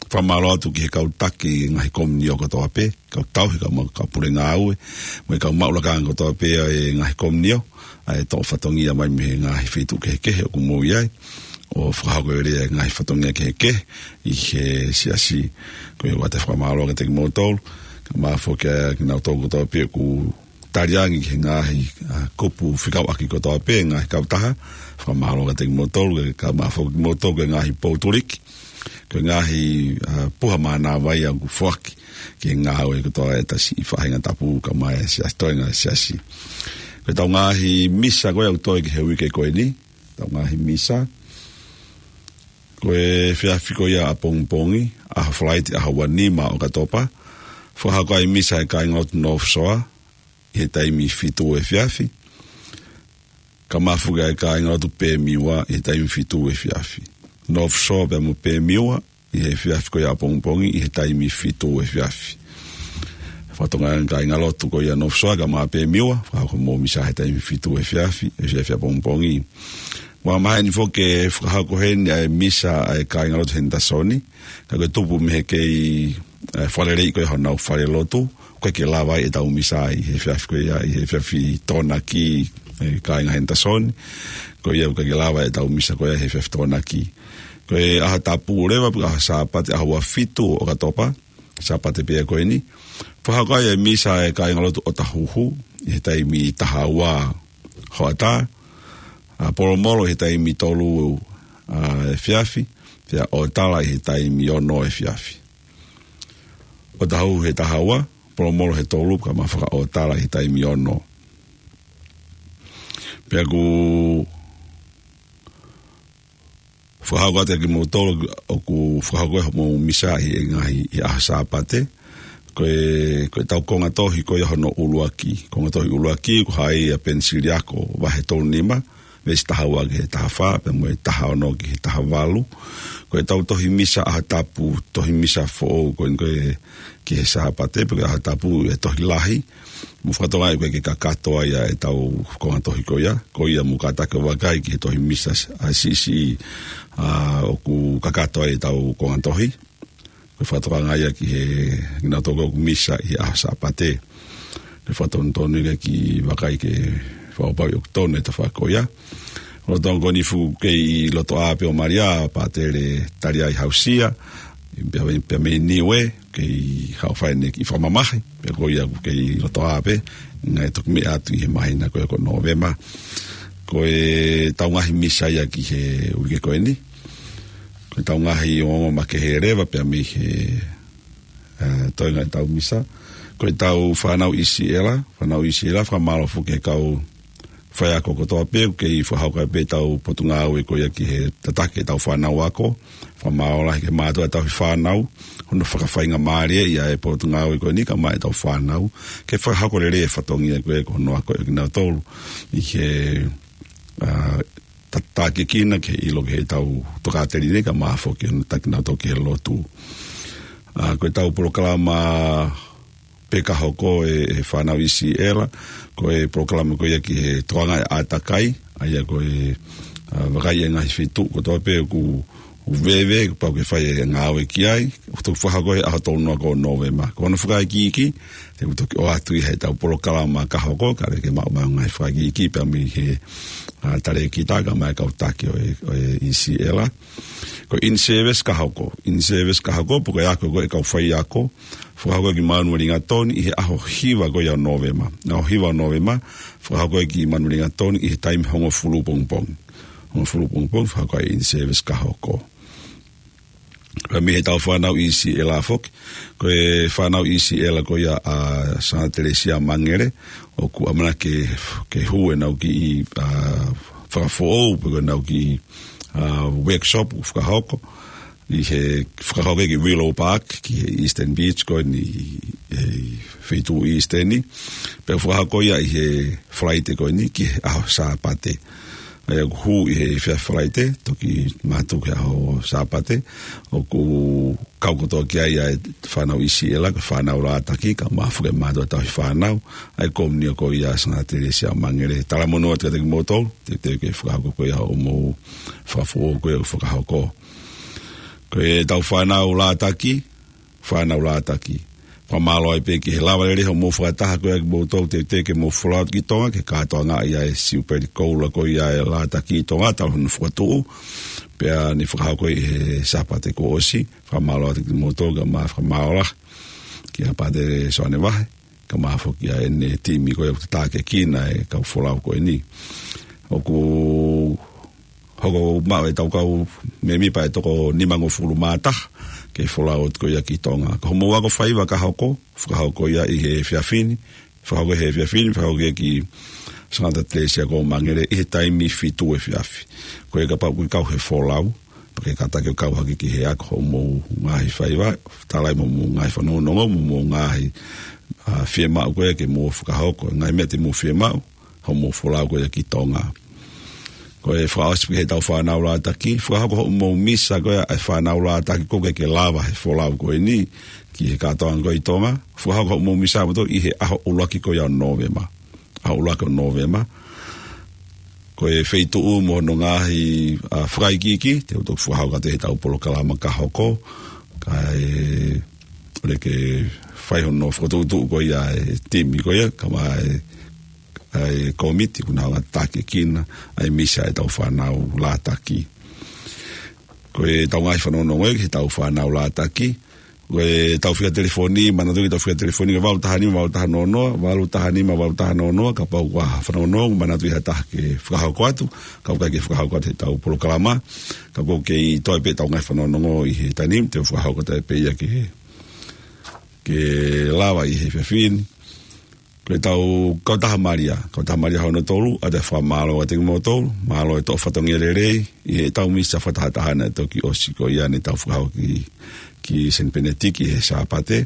fakamālō atu ki he kau taki ngaahi komiunitī kotoa pē, kau tauhi, kau ma-, kau pule ngāue, mo e kau maʻu lakanga kotoa pē ʻa e ngaahi komiunitī, ʻa e toʻo fatongia mai mei he ngaahi feituʻu kehekehe ʻoku mou ʻi ai, ʻo fakahoko lelei e ngaahi fatongia kehekehe ʻi he siasi. Ko ia ʻoku ʻoatu e fakamālō kiate kimoutolu, kae ʻumaʻā foki ʻa kinautolu kotoa pē ʻoku taliangi ki he ngaahi, ʻa, kupu fekauʻaki kotoa pē, ngaahi kautaha, fakamālō kiate kimoutolu, kae ʻumaʻā foki kimoutolu ki he ngaahi poutuliki, ki he ngaahi, ʻa, puha mānava ia ʻoku foaki ki he ngāue kotoa ʻa e tau siʻi faʻahinga tapu kae ʻumaʻā e siasi, toenga e siasi. Ko e tau ngaahi misa ko ia ʻoku toe ki he uike ko eni, tau ngaahi misa. Ko e efiafi ko ia ʻapongipongi, ʻaho Falaite, ʻaho ua nima ʻo ʻOkatopa, fakahoko ai e misa ʻa e kāingalotu North Shore ʻi he taimi fitu efiafi. Kae ʻumaʻā foki ʻa e kāingalotu Pemiwa ʻi he taimi fitu efiafi. North Shore pea mo Pemiwa ʻi he efiafi ko ia ʻapongipongi ʻi he taimi fitu efiafi. Fakatokanga e kāingalotu ko ia North Shore kae ʻumaʻā Pemiwa, fakahoko hoʻomou misa he taimi fitu efiafi, efiafi ʻapongipongi. Ua maheni foki ke fakahoko heni ʻa e misa ʻa e kāingalotu Henderson, ka ko e tupu mei he kei, ʻe, fakaleleiʻi ko ia honau falelotu, ʻoku ʻikai ke lava ai e tau misa ʻi he efiafi ko ia, ʻi he efiafi Tokonaki, ʻe, kāinga Henderson. Ko ia ʻoku ʻikai ke lava e tau misa ko ia he efiafi Tokonaki. Ko e ʻaho tapu leva, pe ko e ʻaho Sāpate, ʻaho ua fitu ʻo ʻOkatopa, Sāpate pē ia ko eni, fakahoko ai e misa ʻa e kāingalotu ʻOtahuhu ʻi he taimi taha ua hoʻatā, ʻa, Polomolo ʻi he taimi tolu, ʻa, efiafi, pea ʻOtala ʻi he taimi ono efiafi. ʻOtahuhu he taha ua, Polomolo he tolu, kae ʻumaʻā foki ʻa ʻOtala he taimi ono. Pea ʻoku fakahoko atu kiate kimoutolu ʻoku fakahoko hoʻomou misa ʻi he ngaahi, ʻi he ʻaho Sāpate. Ko e, ko e tau konga tohi ko ia hono ʻuluaki. Konga tohi ʻuluaki, ko hai ʻa Penisiliako vahe tolu nima, veesi taha ua ki he taha fā, pea mo e taha ono ki he taha valu. Ko e tau tohi misa ʻaho tapu, tohi misa foʻou, ko e, ko e ki he Sāpate, pe ko e ʻaho tapu ʻe tohi lahi. Mou fakatokangaʻi ʻoku ʻikai ke kakato ai ʻa e tau konga tohi ko ia. Ko ia mou kātaki ʻo vakai ki he tohi misa ʻa e siʻisiʻi, ʻa, ʻoku kakato ai e tau konga tohi. Ko e fakatokanga ia ki he, kinautolu ʻoku misa ʻi he ʻaho Sāpate. Ko e fakatonutonu ia ke vakai ke fakapapauʻi ʻoku tonu e tafaʻaki ko ia. Lolotonga ko eni ʻoku kei lotoʻā pē ʻo Malia, Pātele Taliai Hausia, pea mei, pea mei Niue, kei haʻu ʻo fai ʻene kiʻi fakamamahi, pea ko ia ʻoku kei lotoʻā pē, ngaahi toki meʻa atu ʻi he māhina ko ia ko Nōvema. Ko e tau ngaahi misa ia ki he uike ko eni, ko e tau ngaahi ongoongo makehe leva pea mei he, ʻa, toenga e tau misa. Ko e tau fānau ʻi Siʻela, fānau ʻi Siʻela, fakamālō foki ki he kau faiako kotoa pē, ʻoku kei fakahoko ai pē e tau potungāue ko ia ki he tataki e tau fānau ako. Fakamālō lahi ki he mātuʻa tauhi fānau, hono fakafaingamālieʻi ʻa e potungāue ko eni kae ʻumaʻā e tau fānau, ke fakahoko lelei e fatongia ko ē ko hono ako ʻa kinautolu ʻi he, ʻa, ta-, takiekina ke ʻilo ki heʻetau tokāteline kae ʻumaʻā foki hono taki nautolu ki he lotu. ʻA, ko ʻetau polokalama pē ka hoko ʻe, ʻe fānau ʻi Siʻela, ko e polokalama ko ia ki he toʻonga ʻe ʻātakai, ʻa ia ko e, ʻa, vakai e ngaahi feituʻu kotoa pē ʻoku, ʻoku veve, kuo pau ke fai e ngāue ki ai, ʻoku toki fakahoko he ʻaho tolu noa ko Nōvema. Ko hono fakaikiiki, te u toki ʻoatu ʻi heʻetau polokalama ka hoko, kae ʻoua ke maʻu mai ha ngaahi fakaikiiki pea mei he, ʻa, talēkita kae ʻumaʻā e kau taki ʻo e, ʻo e ʻi Siʻela. Ko e in-service ka hoko, in-service ka hoko, pe ko e ako ko ē ʻa e kau faiako, fakahoko ki Manualingatoni ʻi he ʻaho hiva ko ia ʻo Nōvema. ʻAho hiva ʻo Nōvema, fakahoko ki Manualingatoni ʻi he taimi hongofulu pongipongi. Hongofulu pongipongi, fakahoko e in-service ka hoko. Pea mei heʻetau fānau ʻi Siʻela foki, ko e fānau ʻi Siʻela ko ia ʻa Sangata Telesia Mangele, ʻoku ʻamanaki ke, ke hū ʻenau kiʻi, ʻa, fakafoʻou, pe ko ʻenau kiʻi, ʻa, workshop, fakahoko, ʻi he fakahoko ki Willow Park, ki he Eastern Beach, ko eni ʻi he feituʻu Eastern ni. Pea fakahoko ia ʻi he Falaite ko eni ki he ʻaho Sāpate. ʻA ia ʻoku hū ʻi he efiafi Falaite, toki mātuku he ʻaho Sāpate, ʻoku kau kotoa ki ai ʻa e fānau ʻi Siʻela, ko e fānau Lātaki, kae ʻumaʻā foki e mātuʻa tauhi fānau, ʻa e komiunitī ko ia ʻa Sangata Telesia Mangele. Talamonū atu kiate kimoutolu, teuteu ke fakahoko ko ia hoʻomou fakafoʻou ko ia ʻoku fakahoko. Ko ʻetau fānau Lātaki, fānau Lātaki. Fakamālō ai pē ki he lava lelei hoʻomou fakataha ko ia kimoutolu teuteu ke mou folau ki Tonga, ki he kātoanga ia e Siupeli Koula ko ia ʻa Lātaki ʻi Tonga, talu hono fokotuʻu. Pea ne fakahoko ʻi he Sāpate kuo ʻosi, fakamālō atu kimoutolu kae ʻumaʻā fakamālō lahi kia Pātele Soane Vahe, kae ʻumaʻā foki ʻa ʻene timi ko ia ʻoku takiekina e kau folau ko eni. ʻOku hoko mai ʻetau kau mēmipa ʻe toko nimangofulu mā taha ke folau atu ko ia ki Tonga. Ko hoʻomou ako faiva ka hoko, fakahoko ia ʻi he efiafi ni, fakahoko he efiafi ni, fakahoko ia ki Sangata Telesia ko Mangele ʻi he taimi fitu efiafi. Ko ia kapau ʻoku ke kau he folau, pea ke kātaki ʻo kau hake ki he ako hoʻomou ngaahi faiva, tala ai mo hoʻomou ngaahi fanongonongo, mo hoʻomou ngaahi, ʻa, fiemaʻu ko ia ke mou fakahoko, ngaahi meʻa te mou fiemaʻu, hoʻomou folau ko ia ki Tonga. Ko e fakaʻosi pē ki heʻetau fānau Lātaki, fakahoko hoʻomou misa ko ia ʻa e fānau Lātaki ʻoku ʻikai ke lava he folau ko eni ki he kātoanga ko ia ʻi Tonga, fakahoko hoʻomou misa ʻamoto ʻi he ʻaho ʻuluaki ko ia ʻo Nōvema. ʻAho ʻuluaki ʻo Nōvema. Ko e feituʻu mo hono ngaahi, ʻa, fakaikiiki, te u toki fakahoko atu heʻetau polokalama ka hoko, kae ʻoua ke fai hono fokotuʻutuʻu ko ia e timi ko ia, kae ʻumaʻā e ʻa e kōmiti ʻoku nau hanga ʻo takiekina ʻa e misa ʻetau fānau Lātaki. Ko ʻetau ngaahi fanongonongo ki heʻetau fānau Lātaki, ko ʻetau fika telefoni, manatuʻi ki heʻetau fika telefoni, ko e valu taha nima, valu taha noa noa, valu taha nima, valu taha noa noa, kapau ʻoku ʻi ai ha fanongonongo, manatuʻi ha taha ke fakahoko atu, kapau ʻoku ʻikai ke fakahoko atu heʻetau polokalama, ka ʻoku kei toe pē ʻetau ngaahi fanongonongo ʻi he taimi ni, te u fakahoko atu pē ia ke, ke lava ʻi he efiafi ni. Ko ʻetau kautaha Malia, kautaha Malia hono tolu, ʻoatu e fakamālō kiate kimoutolu, mālō e toʻo fatongia lelei, ʻi heʻetau misa fakatahataha naʻe toki ʻosi ko ia ne tau fakahoko ki, ki Saint Benedict ʻi he Sāpate,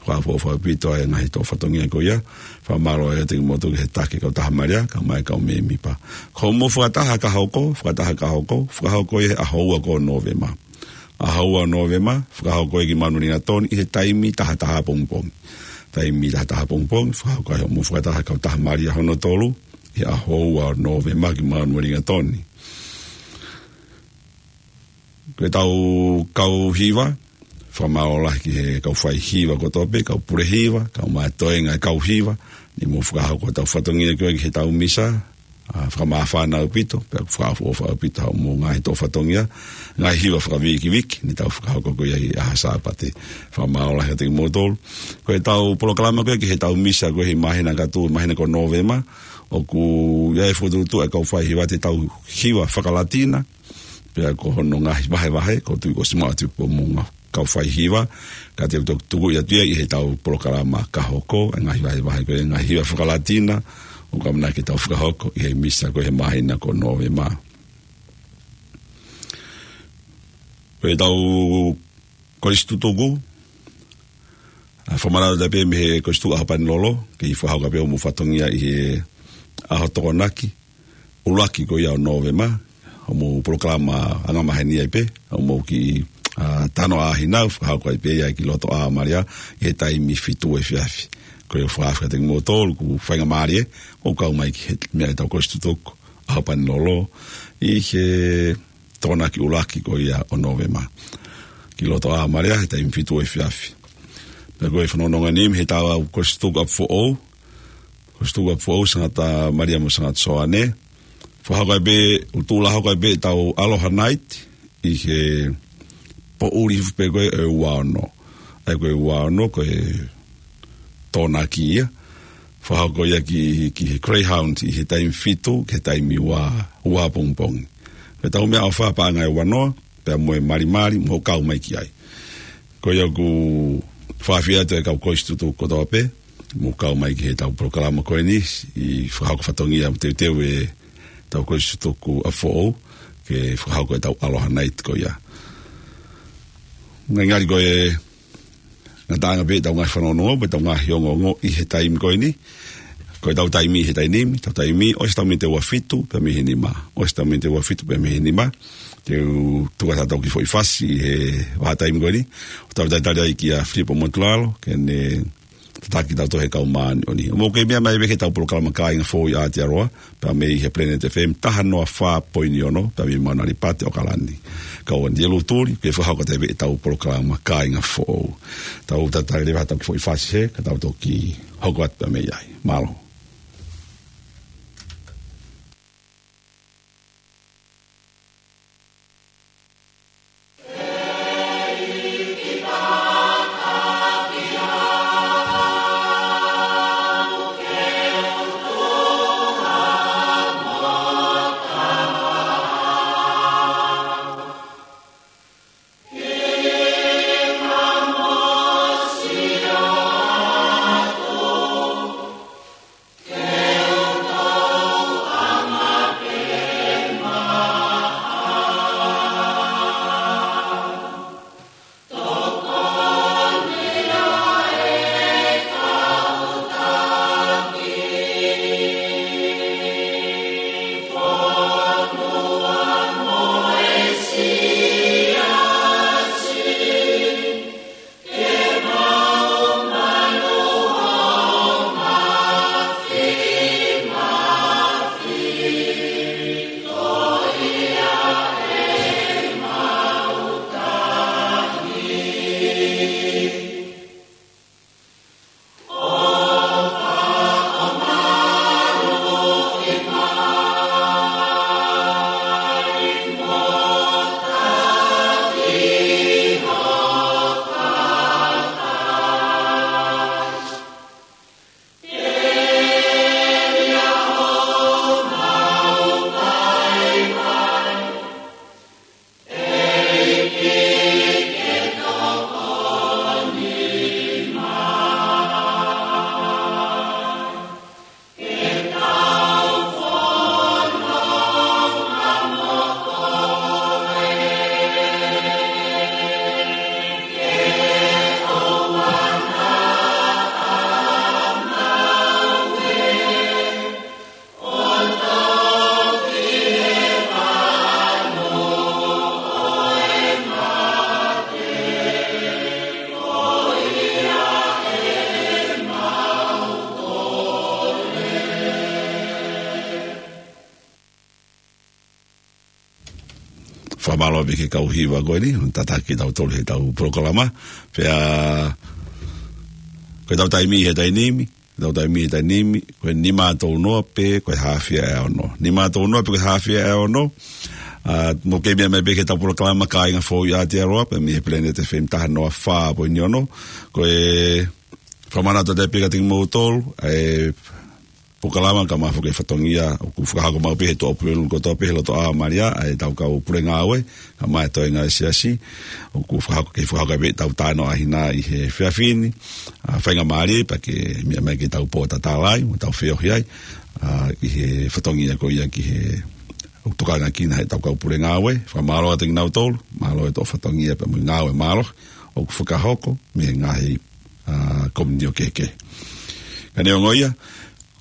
fakaʻofoʻofa ʻaupito ʻa e ngaahi toʻo fatongia ko ia, fakamālō kiate kimoutolu ki he taki kautaha Malia, kae ʻumaʻā e kau mēmipa. Ko hoʻomou fakataha ka hoko, fakataha ka hoko, fakahoko ʻi he ʻaho ua ko Nōvema. ʻAho ua Nōvema, fakahoko ia ki Manualingatoni ʻi he taimi taha taha pongipongi. Taimi taha taha pongipongi, fakahoko ai hoʻomou fakataha kautaha Malia hono tolu, ʻi he ʻaho ua Nōvema ki Manualingatoni. Ko ʻetau kau hiva, fakamālō lahi ki he kau fai hiva kotoa pē, kau pule hiva, kae ʻumaʻā e toenga e kau hiva, ne mou fakahoko ʻetau fatongia ko ia ki heʻetau misa, ʻa, fakamāfana ʻaupito, pea fakaʻofoʻofa ʻaupito hoʻomou ngaahi toʻo fatongia, ngaahi hiva fakavīkiviki, ne tau fakahoko ko ia ʻi he ʻaho Sāpate. Fakamālō lahi kiate kimoutolu. Ko ʻetau polokalama ko ia ki heʻetau misa ko ia he māhina ka tuʻu, māhina ko Nōvema, ʻoku ʻi ai e fokotuʻutuʻu ʻa e kau fai hiva ʻetau hiva fakalatina, pea ko hono ngaahi vahevahe, ʻoku ou tui kuo ʻosi maʻu atu pē mo e ngaahi kau fai hiva, ka te u toki tuku ia atu ia ʻi heʻetau polokalama ka hoko, e ngaahi vahevahe ko ia, ngaahi hiva fakalatina, ʻoku ʻamanaki ke tau fakahoko ʻi he misa ko ia he māhina ko Nōvema. Ko ʻetau kolisi tutuku, ʻa, fakamanatu atu pē mei he Kolisi Tutuku ʻAhopanilolo, ke fakahoko pē hoʻomou fatongia ʻi he ʻaho Tokonaki, ʻuluaki ko ia ʻo Nōvema, hoʻomou polokalama angamaheni ai pē, hoʻomou kiʻi, ā, talanoa ʻa hina, fakahoko ai pē ia ki loto ʻa Malia, ʻi he taimi fitu efiafi. Ko ia fakafetaʻi kimoutolu, ʻoku faingamālie, ʻo kau mai ki he meʻa ʻetau kolisi tutuku, ʻa Hapanilolo, ʻi he Tokonaki ʻuluaki ko ia ʻo Nōvema. Ki loto ʻa Malia, he taimi fitu efiafi. Pea ko e fanongonongo ni, mei heʻetau kolisi tutuku ʻapi foʻou, kolisi tutuku ʻapi foʻou, Sangata Malia mo Sangata Soane. Fakahoko ai pē, ʻoku tuʻu lā hoko ai pē ʻetau Aloha Night, ʻi he poʻuli hifo pē ko ē ʻe ua ono. ʻA ia ko e ua ono, ko e Tokonaki ia. Fakahoko ia ki, ki he Greyhound ʻi he taimi fitu, ki he taimi ua, ua pongipongi. Ko ʻetau meʻaʻofa paʻanga ʻe ua noa, pea mo e malimali, mou kau mai ki ai. Ko ia ʻoku fakaafeʻi atu e kau kolisi tutuku kotoa pē, mou kau mai ki heʻetau polokalama ko eni, ʻi he fakahoko fatongia mo teuteu ʻetau kolisi tutuku ʻapi foʻou, ke fakahoko ʻetau Aloha Night ko ia. Ngalingali ko e ngataʻanga pē ʻetau ngaahi fanongonongo, pea ʻetau ngaahi ongoongo ʻi he taimi ko eni. Ko ʻetau taimi ʻi he taimi ni, ʻetau taimi, ʻosi ʻetau miniti ʻe ua fitu, pea mei he nima. ʻOsi ʻetau miniti ʻe ua fitu, pea mei he nima. Te u tuku atu ha kiʻi foʻi fasi ʻi he vahaʻa taimi ko eni. ʻOku tau talitali ai kia Filipo Motulalo, ke ne tataki kitautolu he kau māʻoniʻoni. Mou kei meʻa mai pē ki heʻetau polokalama Kāinga Foʻou ʻi Aotearoa, pea mei he Planet F M taha noa fā poini ono, pea mei Mauna Lipati ʻAokalani. Ko au Anielu Tuli, ke fakahoko atu pē ʻetau polokalama Kāinga Foʻou. Tau talitali leva ha kiʻi foʻi fasi hē, ka tau toki hoko atu pē mei ai. Mālō. Fakamālō pē ki he kau hiva ko eni, tataki kitautolu heʻetau polokalama. Pea, ko ʻetau taimi he taimi ni, ʻetau taimi he taimi ni, ko e nima tolu noa pē ko e haafe ʻa e ono. Nima tolu noa pē ko e haafe ʻa e ono. Ā, mou kei meʻa mai pē ki heʻetau polokalama Kāinga Foʻou ʻi Aotearoa, pea mei he Planet F M taha noa fā poini ono. Ko e fakamanatu atu pē kiate kimoutolu, ʻa e polokalama Kamata Foki e Fatongia, ʻoku fakahoko maʻu pē he tuʻapulelulu kotoa pē he loto ʻa Malia, ʻa ʻetau kau pule ngāue, kae ʻumaʻā e toenga ʻo e siasi, ʻoku fakahoko, kei fakahoko pē ʻetau talanoa ʻa hina ʻi he efiafi ni, ā, faingamālie pē ke meʻa mai ki heʻetau pōtatalai, mo ʻetau feohi ai, ā, ʻi he fatongia ko ia ki he ʻoku tokanga ki ai ʻetau kau pule ngāue, fakamālō atu kinautolu, mālō e toʻo fatongia pea mo e ngāue mālohi, ʻoku fakahoko, mei he ngaahi, ā, komiunitī kehekehe. Ka neongo ia,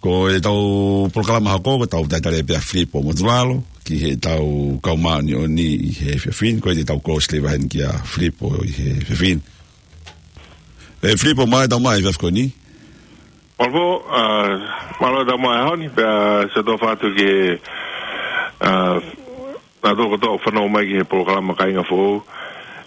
ko ʻetau polokalama hoko, ko ʻetau talitali pē ʻa Filipo Motulalo, ki heʻetau kau māʻoniʻoni ʻi he efiafi ni, ko ia te tau close leva heni kia Filipo ʻi he efiafi ni. ʻE Filipo, mālō e tau mai he efiafi ko eni. Mālō, ʻa, mālō e tau mai he ʻaho ni, pea sio atu ki he, ʻa, naʻa tau kotoa fanongo mai ki he polokalama Kāinga Foʻou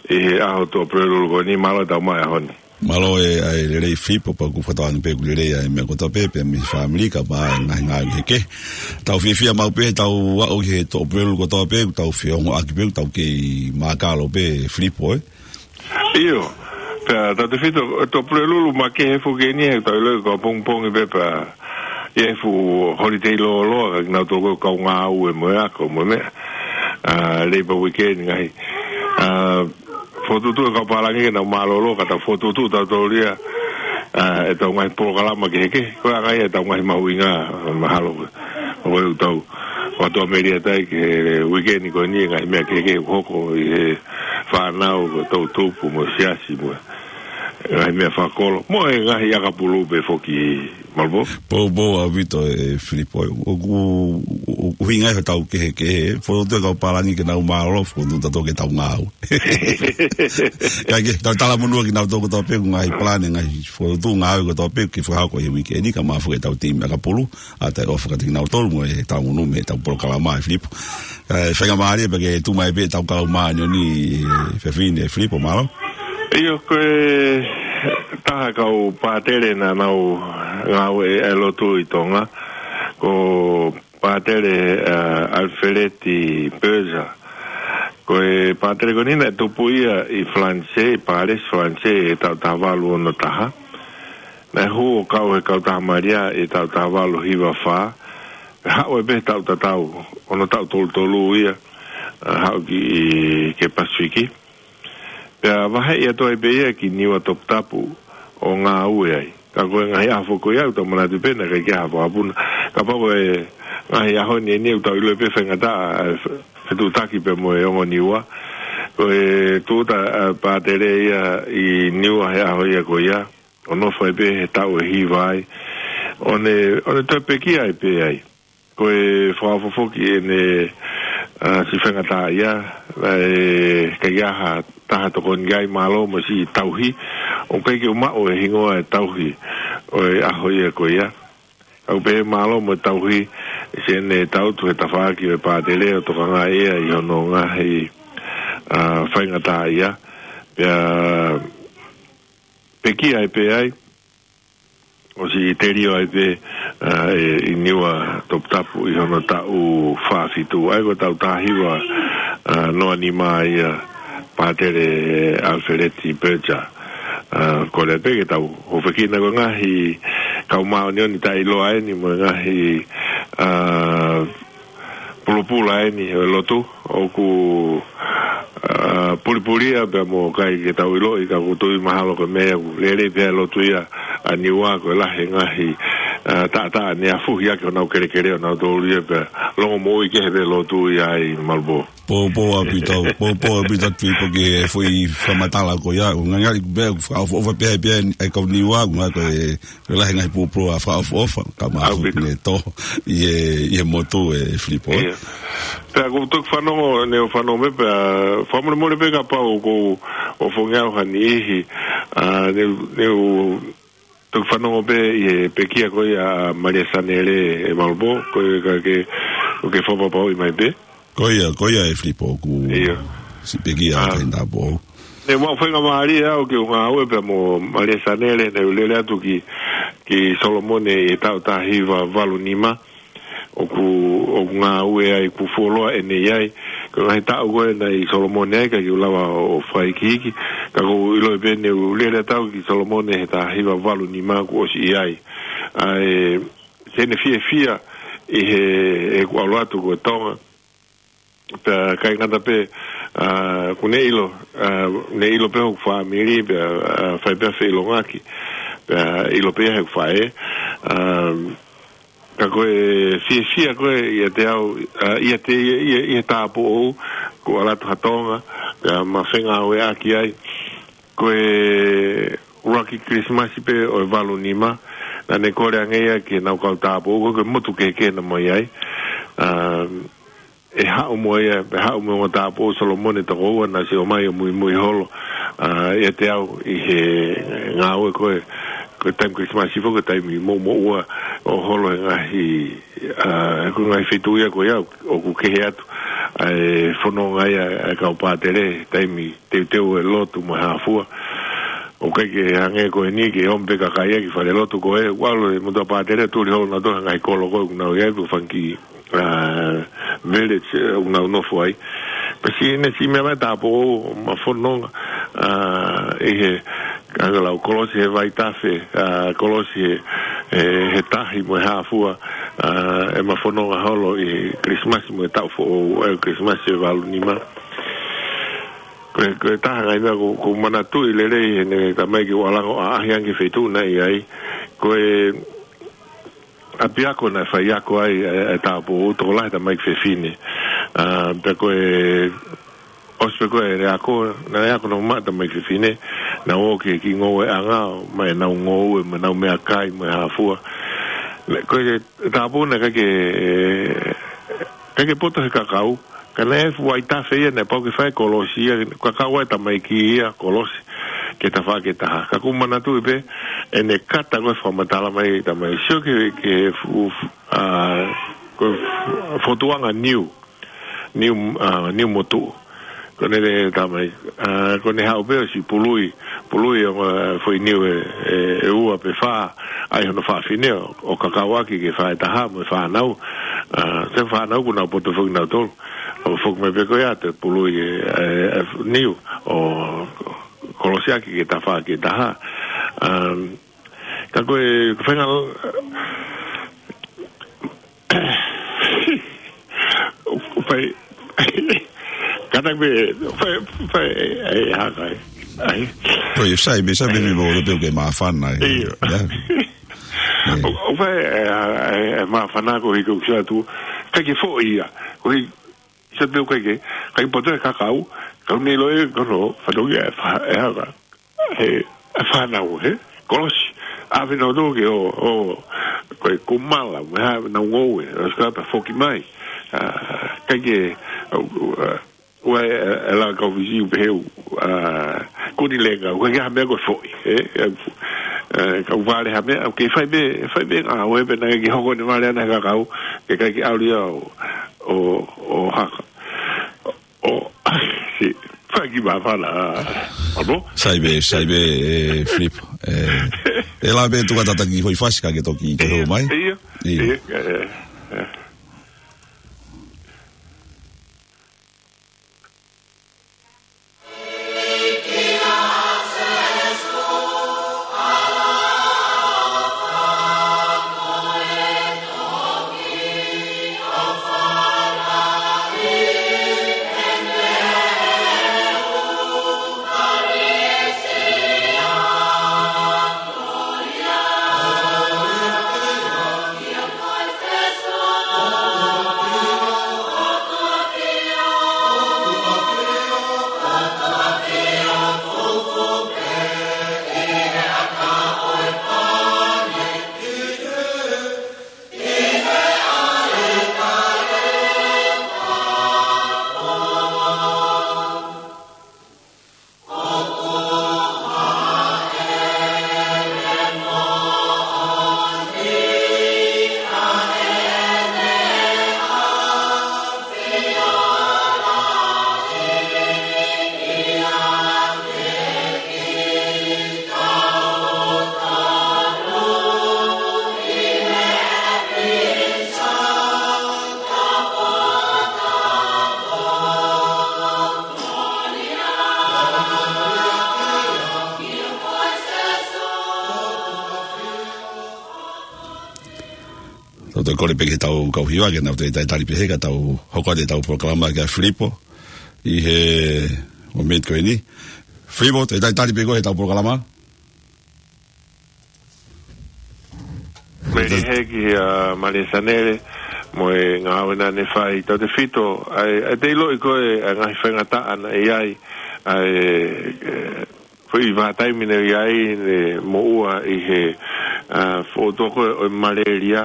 ʻi he ʻaho Tuʻapulelulu ko eni, mālō e tau mai he ʻaho ni. Mālō e, ʻa e lelei Filipo, pea ʻoku fakatauange pē ʻoku lelei ʻa e meʻa kotoa pē, pea mei he fāmili kae ʻumaʻā e ngaahi ngāue kehekehe. Tau fiefia maʻu pē heʻetau aʻu ki he Tuʻapulelulu kotoa pē, ʻoku tau feongoʻaki pē, ʻoku tau kei mākalo pē Filipo, ē. ʻIo, pea tautefito, Tuʻapulelulu makehe foki eni, he tau ʻilo ko e pongipongi pē pea ʻi ai e fuʻu holiday lōloa, ka kinautolu ko e kau ngāue mo e ako mo e meʻa. ʻA, Labour Weekend ngaahi. ʻA, fokotuʻutuʻu e kau pālangi ke nau mālōlō, ka tau fokotuʻutuʻu tautolu ia, ʻa, ʻetau ngaahi polokalama kehekehe, ko e anga ia ʻetau ngaahi mahuʻinga, mahalo ko e, ko e ʻū tau, ʻo tau meʻa ʻi ai ki he weekend ko eni, ngaahi meʻa kehekehe ʻoku hoko ʻi he fānau, ko e toʻutupu, mo e siasi, mo e ngaahi meʻa fakakolo, mo e ngaahi ʻakapulu pē foki, Malvo. Poupou ʻaupito ē Filipo, ʻoku, ʻoku, ʻoku ʻuhinga ia ʻetau kehekehe, fokotuʻutuʻu e kau pālangi ke nau mālōlō, fokotuʻutuʻu tautolu ke tau ngāue. Ka ke, tau talamonū kinautolu kotoa pē, ngaahi palani, ngaahi fokotuʻutuʻu ngāue kotoa pē, ke fakahoko ʻi he weekend ni, kae ʻumaʻā foki ʻetau timi ʻakapulu, ʻa, ʻofa kiate kinautolu mo ʻetau monū mei heʻetau polokalama ē Filipo. ʻE, faingamālie pē ke tuʻu mai pē ʻetau kau māʻoniʻoni he efiafi ni ē Filipo, mālō. ʻIo, ko e taha e kau pātele naʻa nau ngāue ʻi he lotu ʻi Tonga, ko Pātele, ʻa, ʻAlifeleti Pēsa. Ko e pātele ko eni naʻe tupu ia ʻi Falanisē, ʻi Pālesi, Falanisē, ʻi he taʻu taha valu ono taha. Naʻe hū ʻo kau he Kautaha Malia ʻi he taʻu taha valu hiva fā. Haʻu ai pē he taʻu tatau, ono taʻu tolu tolu ia, ʻa, haʻu ki, ki he Pasifiki. Pea vaheʻi atu ai pē ia ki Niua Toputapu ʻo ngāue ai. Ka ko e ngaahi ʻaho foki ko ia ʻoku tau manatu pē naʻe ʻikai ke ʻi ai ha fakapuna. Kapau ko e ngaahi ʻaho ni eni ʻoku tau ʻilo pē faingataʻa, ʻa, fe-, fetuʻutaki pē mo e ongo Niua. Ko e tūʻuta, ʻa, pātele ia ʻi Niua he ʻaho ia ko ia. ʻO nofo ai pē he taʻu ʻe hiva ai. ʻO ne, ʻo ne toe pekia ai pē ai. Ko e fakaʻofoʻofa ki heʻene, ʻa, siʻi faingataʻaʻia, ʻa, ʻikai ke ʻi ai ha taha tokoni ki ai mālō mo e siʻi tauhi, ʻoku ʻikai ke u maʻu e hingoa e tauhi ʻo e ʻaho ia ko ia. ʻOku pehē mālō mo e tauhi, siʻene tangutu he tafaʻaki ʻo e pātele ʻo tokangaʻi ia ʻi hono ngaahi, ʻa, faingataʻaʻia. Pea pekia ai pē ai, ʻo siʻi telio ai pē, ʻa, ʻe, ʻi Niua Toputapu ʻi hono taʻu fā fitu. ʻA ia ko e taʻu taha hiva, ʻa, noa nima ia pātele ʻAlifeleti Pēsa. ʻA, kole pē ke tau hūfekina ko e ngaahi kau māʻoniʻoni taʻeʻiloa eni mo e ngaahi, ʻa, pulopula eni ʻo e lotu, ʻoku, ʻa, pulipulia pea mo ʻikai ke tau ʻiloʻi ka ʻoku ou tui mahalo ko e meʻa ʻoku lelei pē ʻa e lotu ia ʻa Niua ko e lahi e ngaahi, ʻa, taʻataʻa ne afuhi ʻaki honau kelekele ʻonautolu ia pea longomoʻui kehe pē e lotu ia ʻi Malvo. Poupou ʻaupito, poupou ʻaupito Filipo ki he foʻi fakamatala ko ia, ʻoku ngali pē ʻoku fakaʻofoʻofa pē ai pē ʻa e kau Niua, ʻoku ngali ko e Ko e lahi e ngaahi pulopula fakaʻofoʻofa, kae ʻumaʻā ʻaupito. Ne tō ʻi he, ʻi he motu ē Filipo. ʻIo. Pea ʻoku ou toki fanongo, ne u fanongo mai pea, fakamolemole pē kapau ʻoku ou fanongo ʻi ha niʻihi, ʻa, ne u, ne u toki fanongo pē ʻi he pekia ko ia ʻa Malia Sanele ē Malvo, ko e ka ke, ʻoku ke fakapapauʻi mai pē. Ko ia, ko ia ē Filipo ʻoku ʻIo. Siʻi pekia ʻa, ʻa e taimi tāpō. Ne mau faingamālie au ke u ngāue pea mo Malia Sanele, ne u lele atu ki, ki Solomone ʻi he taʻu taha hiva valu nima, ʻoku, ʻoku ngāue ai, ʻoku fuoloa ʻene ʻi ai. Ko e ngaahi taʻu ko ē naʻe ʻi Solomone ai, ʻikai ke u lava ʻo fakahikihiki, ka ʻoku ou ʻilo pē ne u lele atu au ki Solomone he taha hiva valu nima kuo ʻosi ʻi ai. ʻA e, siʻene fiefia ʻi he, heʻeku ʻalu atu ko Tonga. Pea ʻikai ngata pē, ʻa, ʻoku ne ʻilo, ʻa, ne ʻilo pē hoku fāmili, pea, ʻa, fai pē ha feʻilongaki, pea ʻilo pē ia heʻeku faʻē, ʻa, ka ko e fiefia ko ē ʻiate au, ʻa, ʻiate, ʻi, ʻi, ʻi he tāupoʻou, kuo ʻalu atu ha Tonga, pea ma fengāueʻaki ai, ko e ʻuluaki Kilisimasi pē ʻo e valu nima, naʻa ne kole ange ia ki heʻenau kau tāupoʻou, ko e motu kehekehe naʻa mau ʻi ai, ʻa, ʻe haʻu mo ia, ʻe haʻu mo e ongo tāupoʻou Solomone toko ua naʻe ʻosi ʻomai ʻo muimui holo, ʻa, ʻiate au ʻi he ngāue ko ē, ko e taimi Kilisimasi foki, ko e taimi mou moʻua ʻo holo he ngaahi, ʻa, ko e ngaahi feituʻu ia ko ia ʻoku kehe atu ʻa e fononga ia ʻa e kau pātele, taimi teuteu e lotu mo e hā fua. ʻOku ʻikai ke hangē ko eni ke ʻomi pē kakai ia ki falelotu ko ē, ʻalu e motuʻa pātele tuli holo nautolu he ngaahi kolo ko ē ʻoku nau ʻi ai, pe fanga kiʻi, ʻa, village, ʻe, ʻoku nau nofo ai. Pea siʻi, ne siʻi meʻa mai tāupoʻou ʻo ma fononga, ʻa, ʻi he, ka lau kolosi he vaitafe, ʻa, kolosi he, he, he tahi mo e hā fua, ʻa, ʻe ma fononga holo ʻi he Kilisimasi mo e taʻu foʻou, ʻa e Kilisimasi ʻe valu nima. Ko e, ko e taha e ngaahi meʻa ʻoku, ʻoku ou manatuʻi lelei heʻene tamaiki ʻo ʻalu ange ʻo ʻaʻahi ange ki he feituʻu naʻe ʻi ai. Ko e ʻapiako naʻe faiako ai ʻa e, ʻa e tāupoʻou, tokolahi tamaiki fefine. ʻA, pea ko e, ʻosi pē ko ē ʻene ako, naʻe ako naʻe maʻu e tamaiki fefine, naʻe ō ki he kiʻi ngoueʻanga, ʻomai ʻenau ngoue, mo ʻenau meʻakai, mo e hā fua. Naʻe, ko e tāupoʻou naʻe ʻikai ke, ʻikai ke poto he kakau, ka naʻe fuʻu vaitafe ia, naʻe pau ke fai e kolosi ia, kakau ʻa e tamaiki ia, kolosi, ki he tafaʻaki ʻe taha. Ka ʻoku ou manatuʻi pē, ʻene kata ko e fakamatala mai, tamaiki sio ki he, ki he fu-, fu-, ʻa, ko e fu-, fokotuʻuʻanga niu, niu, ʻa, niu motuʻu. Ko ʻene tamaiki, ʻa, ko ʻene haʻu pē ʻo siʻi pului, pului ʻa e foʻi niu ʻe, ʻe, ʻe ua pe fā, ʻai hono fafine ʻo, ʻo kakau ʻaki ki he faʻē ʻe taha mo e fānau. ʻA, ʻa e fānau ʻoku nau poto foki nautolu. ʻO foki mai pē ko ia ʻo pului e, e, e niu ʻo kolosi ʻaki ki he tafaʻaki ʻe taha. Um, ka ko e, ko e faʻahinga, fai, kātaki pē, fai, fai, ʻe, ʻe haka ai. Ai. Ko e sai, me sai, me, me mo te ke māfana, ʻe. Ia. Ia. ʻO, ʻo fai, ʻe, ʻe, ʻe māfana ko e hiko ki atu, ʻikai ke foʻi ia, ko e, sai pē ʻoku ʻikai ke, ʻikai poto e kakau, ka ʻoku ne ʻilo ʻe, ko hono fatongia ʻe fa-, ʻe haka, he, ʻe fānau, he, kolosi, ʻave nautolu ke ō, ō, ko e kumala, mo e hā, nau ngoue, ʻo sika pea foki mai, ʻa, ʻikai ke, ʻo, ʻo, ʻa, ʻoua ʻe, ʻe la kau Fisi ʻo pehē ʻoku, ʻa, kuni lenga, ʻoku ʻikai ha meʻa ko e foʻi, ʻe, ʻe, ʻe, kau vale ha meʻa, ʻoku ke fai pē, fai pē ngāue pē naʻe ʻikai ke hoko ʻene vale ʻana he kakau, ke ʻikai ke ʻalu ia ʻo, ʻo, ʻo haka. ʻO, si, fai ki māfana, ʻa, mo? Sai pē, sai pē, ʻe, Flip, ʻe, ʻe la pē tuka tataki hoi fasi ka ke toki ke hou mai. Ia, ia, Ia. ia, ʻe, ʻe. Tau toe kole pē ki heʻetau kau hiva ke nau toe talitali pē he ka tau hoko atu ʻetau polokalama kia Filipo ʻi he momeniti ko eni. Filipo, toe talitali pē koe heʻetau polokalama. Mei he ki, ʻa, Malia Sanele, mo e ngāue naʻa ne fai, tautefito, ʻa e, ʻa e te ʻiloʻi ko e, ʻa e ngaahi faingataʻa naʻe ʻi ai, ʻa e, ʻe, foʻi vahaʻa taimi naʻe ʻi ai, ne moʻua ʻi he, ʻa, foʻi toko ʻo e malaria,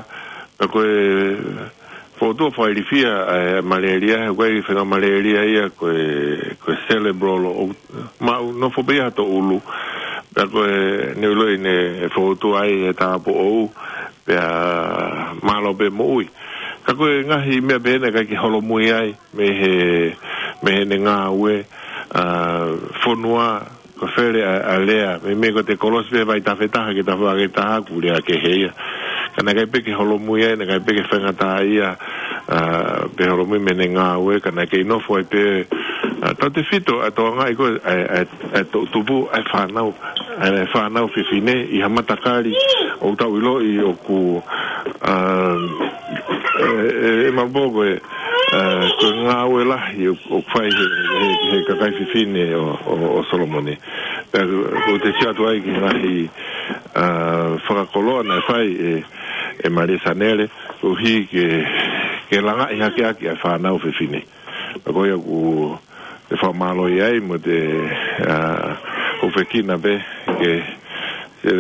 ka ko e, Fokotuʻu fakailifia ʻa e malaria, he ko e faʻahinga malaria ia ko e, ko e cerebral, ʻo maʻu nofo pē ia ha toʻulu. Pea ko e, ne u ʻiloʻi ne fokotuʻu ai e tāupoʻou, pea mālō pē moʻui. Ka ko e ngaahi meʻa pē ena ʻikai ke holomui ai, mei he, mei heʻene ngāue, ʻa, fonua, ko e fele ʻa, ʻa e lea, meimei ko e kolosi pē vai tafe taha ki he tafe ake taha kuo lea kehe ia. Ka naʻe ʻikai pē ke holomui ai, naʻe ʻikai pē ke faingataʻaʻia, ʻa, pe holomui mei heʻene ngāue, ka naʻe kei nofo ai pē, ʻa, tautefito ʻa e tokangaʻi ko ē ʻa e, ʻa e, ʻa e toʻutupu, ʻa e fānau, ʻa e fānau fefine, ʻi ha matakali, ʻoku tau ʻiloʻi ʻoku, ʻa, ʻe, ʻe, ʻe Malibō ko e, ʻa, ko e ngāue lahi ʻoku, ʻoku fai he, he, he kakai fefine ʻo, ʻo, ʻo Solomone. Pea ʻoku ou sio atu ai ki he ngaahi, ʻa, fakakoloa naʻe fai ʻe, ʻe Malia Sanele, koeʻuhi ke, ke langaʻi hake ʻaki ʻa e fānau fefine. Pea ko ia ʻoku te fakamālō ai mo te, ʻa, ʻoku fekina pē ke, ke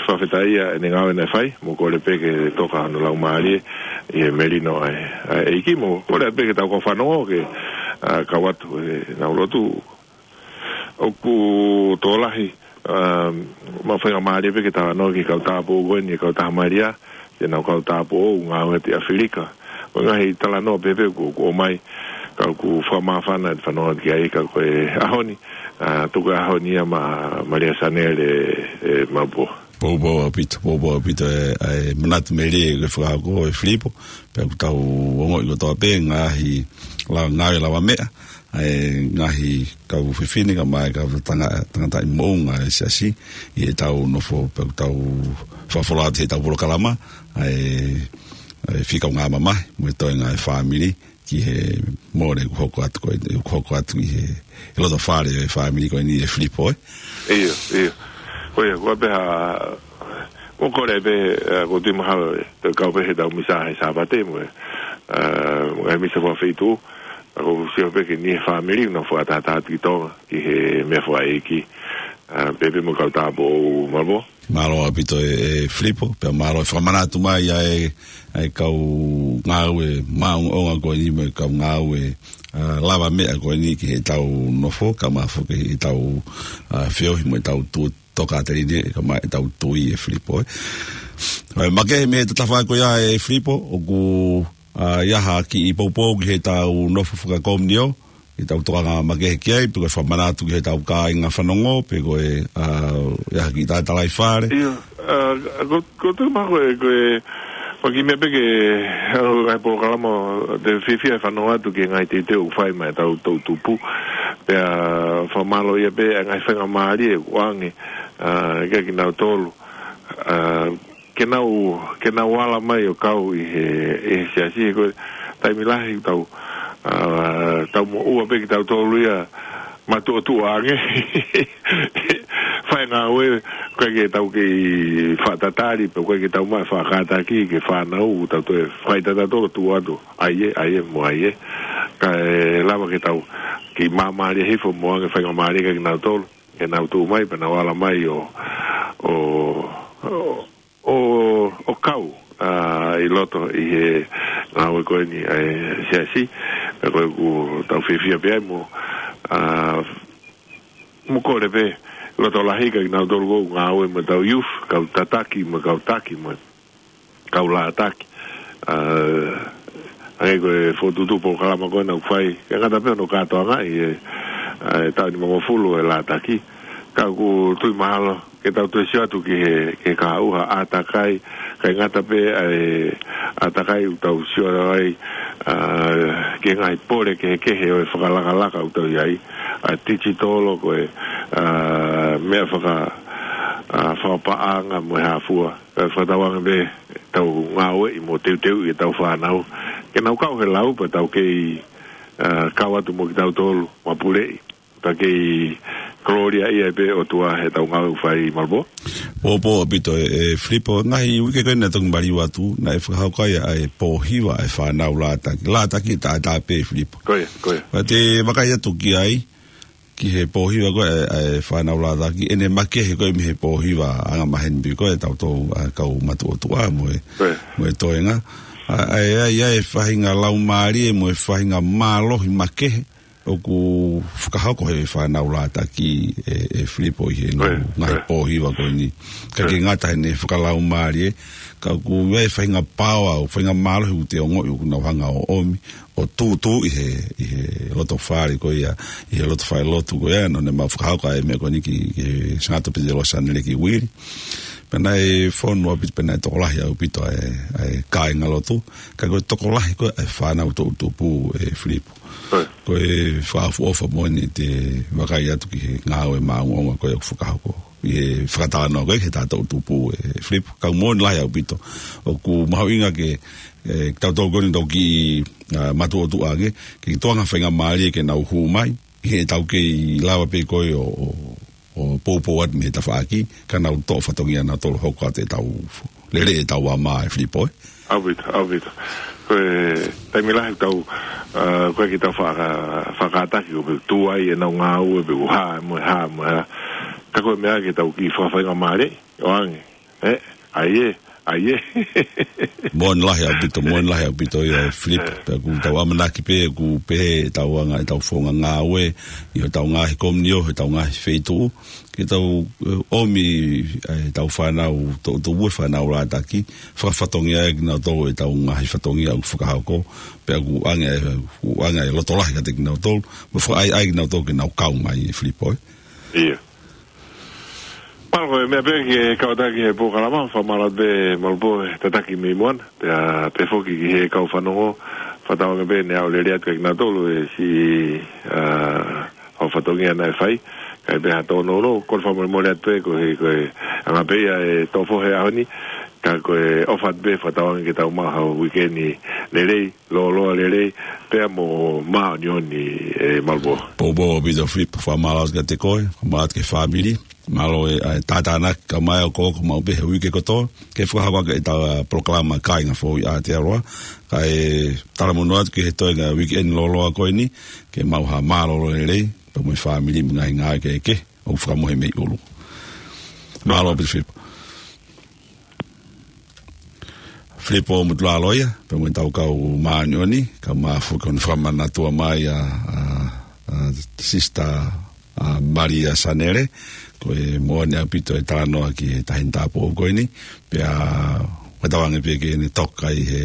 fakafetaʻia ʻene ngāue naʻe fai, mo kole pē ke toka hono laumālie ʻi he melino ʻa e, ʻa e ʻEiki, mo kole pē ke tau kau fanongo ke, ʻa, kau atu ʻenau lotu. ʻOku tokolahi, ʻa, maʻu faingamālie pē ke talanoa ki he kau tāupoʻou ko eni, kau taha Malia, ke nau kau tāupoʻou ngāue ʻi ʻAfilika. Ko e ngaahi talanoa pē pē ʻoku, ʻoku ʻomai, ka ʻoku fakamāfana ʻa e fanongo ki ai, ka ko e ʻaho ni, ʻa, tuku e ʻaho ni ia maʻa Malia Sanele, ʻe Malibō. Poupou ʻaupito, poupou ʻaupito e, e manatu melie ʻoku fakahoko ʻe Filipo, pea ʻoku tau ongoʻi kotoa pē ngaahi la-, ngāue lavameʻa, ʻa e ngaahi kau fefine kae ʻumaʻā e kau tanga-, tangataʻi moʻunga ʻa e siasi, ʻi heʻetau nofo pea ʻoku tau fakafola atu heʻetau polokalama, ʻa e, ʻa e fika ngā mamahi, mo e toenga ʻa e fāmili, ki he mole ʻoku hoko atu ko ē, ʻoku hoko atu ʻi he, he loto fale ʻo e fāmili ko eni ʻe Filipo, ē? ʻIo, ʻio. Ko ia, ko e pehē, mo kole pē, ʻa, ʻoku ou tui mahalo, ʻe, te u kau pē heʻetau misa he Sāpate mo e, ʻa, mo e misa fakafeituʻu, ʻa, ʻoku ou sio pē ki he niʻihi fāmili, nau fakataha atu ki Tonga, ki he meʻa fakaʻeiki, ʻa, pea pē mo e kau tāupoʻou Malibō. Mālō ʻaupito ʻe, ʻe Filipo, pea mālō e fakamanatu mai ʻa e, ʻa e kau ngāue maʻongoʻonga ko eni mo e kau ngāue, ʻa, lavameʻa ko eni ki heʻetau nofo, kae ʻumaʻā foki ʻetau, ʻa, feohi mo ʻetau tu-, tokāteline, kae ʻumaʻā ʻetau tui ʻe Filipo, ē. ʻA e makehe mei he tatafa ko ia ʻe Filipo, ʻoku, ʻa, ʻi ai ha kiʻi poupou ki heʻetau nofo fakakomiunio, ʻetau tokanga makehe ki ai, pe ko e fakamanatu ki heʻetau kāinga fanongo, pe ko e, ʻa, ʻi ai ha kiʻi talatalai fale. ʻIo, ʻa, ko, ko e tuʻu mai ko e, ko e, ʻoku ou kiʻi meʻa pē ke, ʻa, ngaahi polokalama, te u fiefia he fanongo atu ki he ngaahi teuteu ʻoku fai maʻa ʻetau toʻutupu. Pea fakamālō ia pē, ʻa e ngaahi faingamālie ʻoku ʻoange, ʻa, kia kinautolu. ʻA, ke nau, ke nau ala mai ʻo kau ʻi he, ʻi he siasi, ko e taimi lahi tau, ʻa, tau moʻua pē kitautolu ia matuʻotuʻa ange. Fai ngāue, ʻikai ke tau kei fakatatali, pe ʻikai ke tau maʻu e fakakātaki ki he fānau, tau toe fai tautolu tuʻu atu, ʻai ē, ʻai ē, mo ʻai ē. Kae lava ke tau, kiʻi māmālie hifo mo ʻoange faingamālie kia kinautolu. Ke nau tuʻu mai, pea nau ala mai ʻo, ʻo, ʻo, ʻo, ʻo kau, ʻa, ʻi loto ʻi he ngāue ko eni ʻa e siasi, pea ko ʻeku tau fiefia pē ai mo, ʻa, mo kole pē, loto lahi kia kinautolu ʻoku ngāue mo ʻetau youth, kau tataki, mo kau taki, mo kau lātaki. ʻA, ʻa ia ko e fokotuʻutuʻu polokalama ko ena ʻoku fai, ʻikai ngata pē hono kātoangaʻi e, ʻa, e taʻu nimangofulu e lātaki. Ka ʻoku ou tui mahalo, ke tau toe sio atu ki he, ki he kahaʻu ha ʻātakai, ʻikai ngata pē ʻa e ʻātakai ʻoku tau sio ai, ʻa, ki he ngaahi pole kehekehe ʻo e fakalakalaka ʻoku tau ʻi ai, ʻa, digital ko e, ʻa, meʻa faka-, ʻa, fakapaʻanga mo e hā fua. Kae fakatauange pē ʻetau ngāueʻi mo teuteuʻi ʻetau fānau. Ke nau kau he lau pea tau kei, ʻa, kau atu mo kitautolu, mapuleʻi. Pea kei kolōliaʻi ai pē ʻOtua heʻetau ngāue ʻoku fai Malibō. Poupou ʻaupito ʻe, ʻe Filipo, ngaahi uike ko ena naʻe toki maliu atu, naʻe fakahoko ai ʻa e pōhiva ʻa e fānau lātaki. Lātaki taʻataʻa pē Filipo. Ko ia, ko ia. Pea te u vakai atu ki ai, ki he pōhiva ko ē, ʻa e fānau lātaki, ʻene makehe ko ē mei he pōhiva anga maheni pē ko ē, tautolu ʻa e kau matuʻotuʻa mo e, Ko ia. mo e toenga. ʻA, ʻa e, ʻa e, ʻa e faʻahinga laumālie mo e faʻahinga mālohi makehe ʻoku fakahoko he fānau lātaki ʻe, ʻe Filipo ʻi he ngaahi pōhiva ko eni. Ka ke ngata heʻene fakalaumālie, ka ʻoku ʻi ai e faʻahinga paoa, ʻo faʻahinga mālohi ʻoku te ongoʻi ʻoku nau hanga ʻo ʻomi, ʻo tūtū ʻi he, ʻi he loto fale ko ia, ʻi he loto fale lotu ko ia, ʻo ne mau fakahoko ʻa e meʻa ko eni ki, ki he Sangata Pita Losa Neleki Uili. Pea naʻe fonu ʻaupito, pea naʻe tokolahi ʻaupito ʻa e, ʻa e kāinga lotu, ka ko e tokolahi ko ē ʻa e fānau toʻutupu ʻe Filipo. Ko e fakaʻofoʻofa moʻoni te vakai atu ki he ngāue maʻongoʻonga ko ē ʻoku fakahoko. ʻI he fakatalanoa ko ē ki he toʻutupu ʻe Filipo. Ka moʻoni lahi ʻaupito. ʻOku mahuʻinga ke, ʻe, tautolu ko eni tau ki, ʻa, matuʻotuʻa ange, ke tuʻunga faingamālie ke nau hū mai, he tau kei lava pē ko ē ʻo, ʻo, ʻo poupou atu mei he tafaʻaki, ka nau toʻo fatongia nautolu hoko atu ʻetau lele ʻetau ama ʻe Filipo, ē. ʻAupito, ʻaupito. Ko e taimi lahi tau, ʻa, ko e ke tau faka-, fakataki ʻo pe tū ai ʻenau ngāue pe ʻuha, mo e hā, mo e hā. Ka ko e meʻa ke tau ki fakafaingamālie, ʻoange. ʻE, ʻai ē, ʻai ē. Moʻoni lahi ʻaupito, moʻoni lahi ʻaupito ia ʻe Filipo. Pea ʻoku tau ʻamanaki pē, ʻoku pehē ʻetau anga, ʻetau founga ngāue, ʻi hotau ngaahi komiunitī, hotau ngaahi feituʻu. Ke tau, ʻe, ʻomi, ʻe, ʻetau fānau toʻutupu, fānau lātaki, fakafatongia ai kinautolu ʻetau ngaahi fatongia ʻoku fakahoko, pea ʻoku ʻoange, ʻoku ʻoange e loto lahi kiate kinautolu, mo fakaʻaiʻai kinautolu ke nau kau mai ʻe Filipo, ē. ʻIo. Mālō, ko e meʻa pē ke kau atu ki he polokalama, fakamālō pē Malupo he tataki mei muʻa, pea pehē foki ki he kau fanongo, fakatauange pē ne aʻu lelei atu kiate kinautolu e siʻi, ʻa, ʻa e fatongia naʻe fai, kae pehē ha tōnounou, ko e fakamolemole atu pē ko e, ko e anga pē ia e tō fohe ʻaho ni, ka ko e ʻofa atu pē fakatauange ke tau maʻu ha uikeni lelei, lōloa lelei, pea mo māʻoniʻoni ʻe Malupo. Poupou ʻaupito Filipo, fakamālō atu kiate koe, fakamālō atu ki he fāmili, mālō e, ʻa e tātānaki kae ʻumaʻā e okooko maʻu pē he uike kotoa, ke fakahoko ʻaki ʻetau, ʻa, polokalama Kāinga Foʻou ʻi Aotearoa, kae talamonū atu ki he toenga uikeni lōloa ko eni, ke maʻu ha mālōlō lelei, pea mo e fāmili mo e ngaahi ngāue kehekehe, ʻoku fakamohe mei ʻolunga. Mālō ʻaupito Filipo. Filipo Mutulaloia, pea mo ʻetau kau māʻoniʻoni, kae ʻumaʻā foki hono fakamanatua mai ʻa, ʻa, ʻa Sister, ʻa, Malia Sanele, ko e moʻoni ʻaupito e talanoa ki he taʻahine tāupoʻou ko eni, pea fakatauange pē ke ne toka ʻi he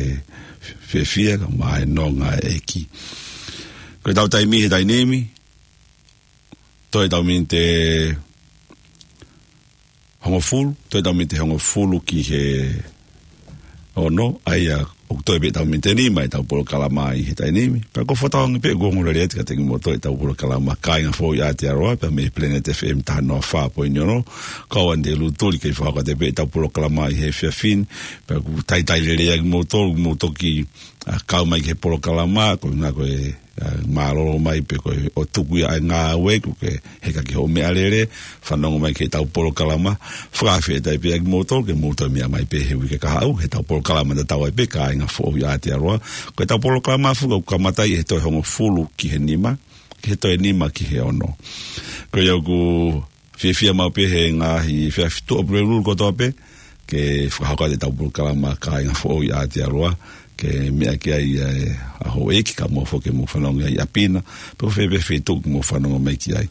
fiefia, kae ʻumaʻā e nonga ʻa e ʻEiki. Ko ʻetau taimi he taimi ni, toe ʻetau miniti hongofulu, toe ʻetau miniti hongofulu ki he ono, ʻa ia ʻoku toe pē ʻetau miniti nima ʻetau polokalama ʻi he taimi ni. Pea ʻoku ou fakatauange pē ʻoku ongo lelei atu kiate kimoutolu ʻetau polokalama Kāinga Foʻou ʻi Aotearoa, pea mei he Planet F M taha noa fā poini ono, ko au Anite Lutuli kei fakahoko atu pē ʻetau polokalama ʻi he efiafi ni, pea ʻoku talitali lelei ʻa kimoutolu, mou toki, ʻa, kau mai ki he polokalama, ko e ʻuhinga ko e ʻa, mālōlō mai pē ko e ʻo tuku ia ʻa e ngāue ʻoku ke heka ki hoʻo meʻalele, fanongo mai ki heʻetau polokalama, fakafetaʻi pē ʻa kimoutolu ke mou toe meʻa mai pē he uike kahaʻu, heʻetau polokalama tatau ai pē Kāinga Foʻou ʻi Aotearoa, ko ʻetau polokalama foki ʻoku kamata ʻi he toe hongofulu ki he nima, ki he toe nima ki he ono. Ko ia ʻoku fiefia maʻu pē he ngaahi efiafi Tuʻapulelulu kotoa pē, ke fakahoko atu ʻetau polokalama Kāinga Foʻou ʻi Aotearoa, ke meʻa ki ai ʻa e, ʻa houʻeiki kae ʻumaʻā foki mo fanongo ʻi ʻapi na, pe ko fē pē feituʻu ke mou fanongo mai ki ai.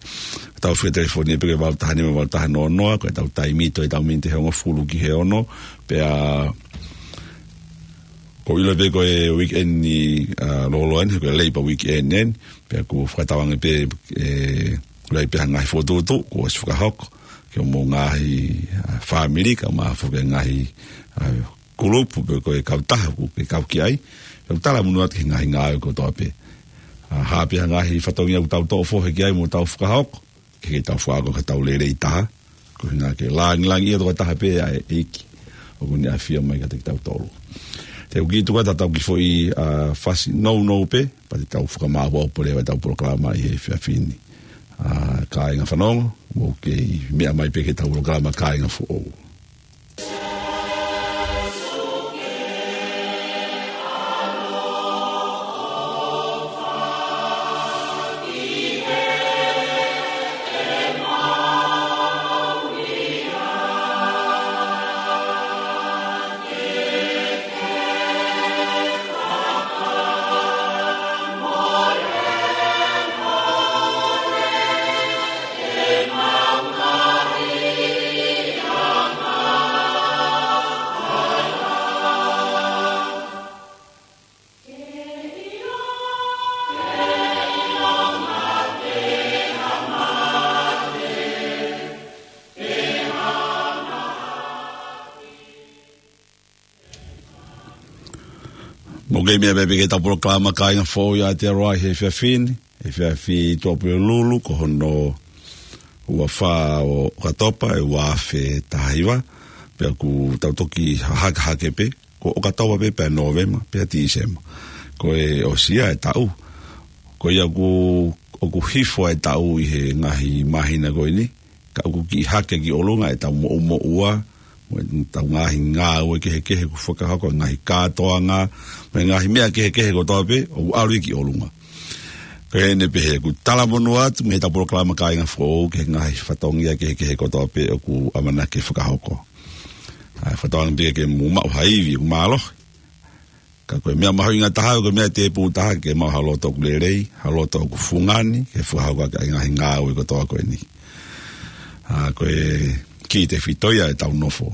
Tau fie telefoni pē ki he valu taha nima, valu taha noa noa, ko ʻetau taimi toe ʻetau miniti hongofulu ki he ono, pea ʻoku ou ʻilo pē ko e weekend ni, ʻa, lōloa ni, ko e Labour Weekend eni, pea ʻoku fakatauange pē, ʻe, ʻoku ʻi ai pē ha ngaahi fokotuʻutuʻu kuo ʻosi fakahoko ki homou ngaahi, ʻa, fāmili kae ʻumaʻā foki e ngaahi, ʻa, kulupu pe ko e kautaha ʻoku ke kau ki ai. Pea ʻoku talamonū atu ki he ngaahi ngāue kotoa pē. ʻA, ha pē ha ngaahi fatongia ʻoku tau toʻo fohe ki ai mo tau fakahoko, ke ke tau fakahoko ka tau lelei taha. Ko e ʻuhinga ke langilangiʻia tokotaha pē ʻa e ʻEiki ʻoku ne ʻafio mai kiate kitautolu. Te u kiʻi tuku atu ʻetau kiʻi foʻi, ʻa, fasi nounou pē, pea te tau fakamāʻopoʻopo leva ʻetau polokalama ʻi he efiafi ni. ʻA, kāinga fanongo, mou kei meʻa mai pē ki heʻetau polokalama Kāinga Foʻou. Pea meʻa pē ki heʻetau polokalama Kāinga Foʻou ʻi Aotearoa he efiafi ni, efiafi Tuʻapulelulu, ko hono ua fā ʻo ʻOkatopa, ʻe ua afe taha hiva, pea ʻoku tau toki hahake hake pē, ko ʻOkatopa pē pea Nōvema, pea Tīsema. Ko e ʻosi ia e taʻu. Ko ia ʻoku, ʻoku hifo e taʻu ʻi he ngaahi māhina ko eni, ka ʻoku kiʻi hake ki ʻolunga ʻetau moʻumoʻua, mo ʻetau ngaahi ngāue kehekehe ʻoku fakahoko, ngaahi kātoanga, mo e ngaahi meʻa kehekehe kotoa pē, ʻoku ʻalu ia ki ʻolunga. Ko eni pē he ʻoku talamonū atu mei heʻetau polokalama Kāinga Foʻou ki he ngaahi fatongia kehekehe kotoa pē ʻoku ʻamanaki ke fakahoko. ʻA, fakatauange pē ke mou maʻu ha ivi ʻoku mālohi. Ka ko e meʻa mahuʻinga taha, ko e meʻa tēpū taha, ke maʻu ha loto ʻoku lelei, ha loto ʻoku fungani, ke fakahoko ʻaki ʻa e ngaahi ngāue kotoa ko eni. ʻA, ko e kī tefito ia ʻetau nofo.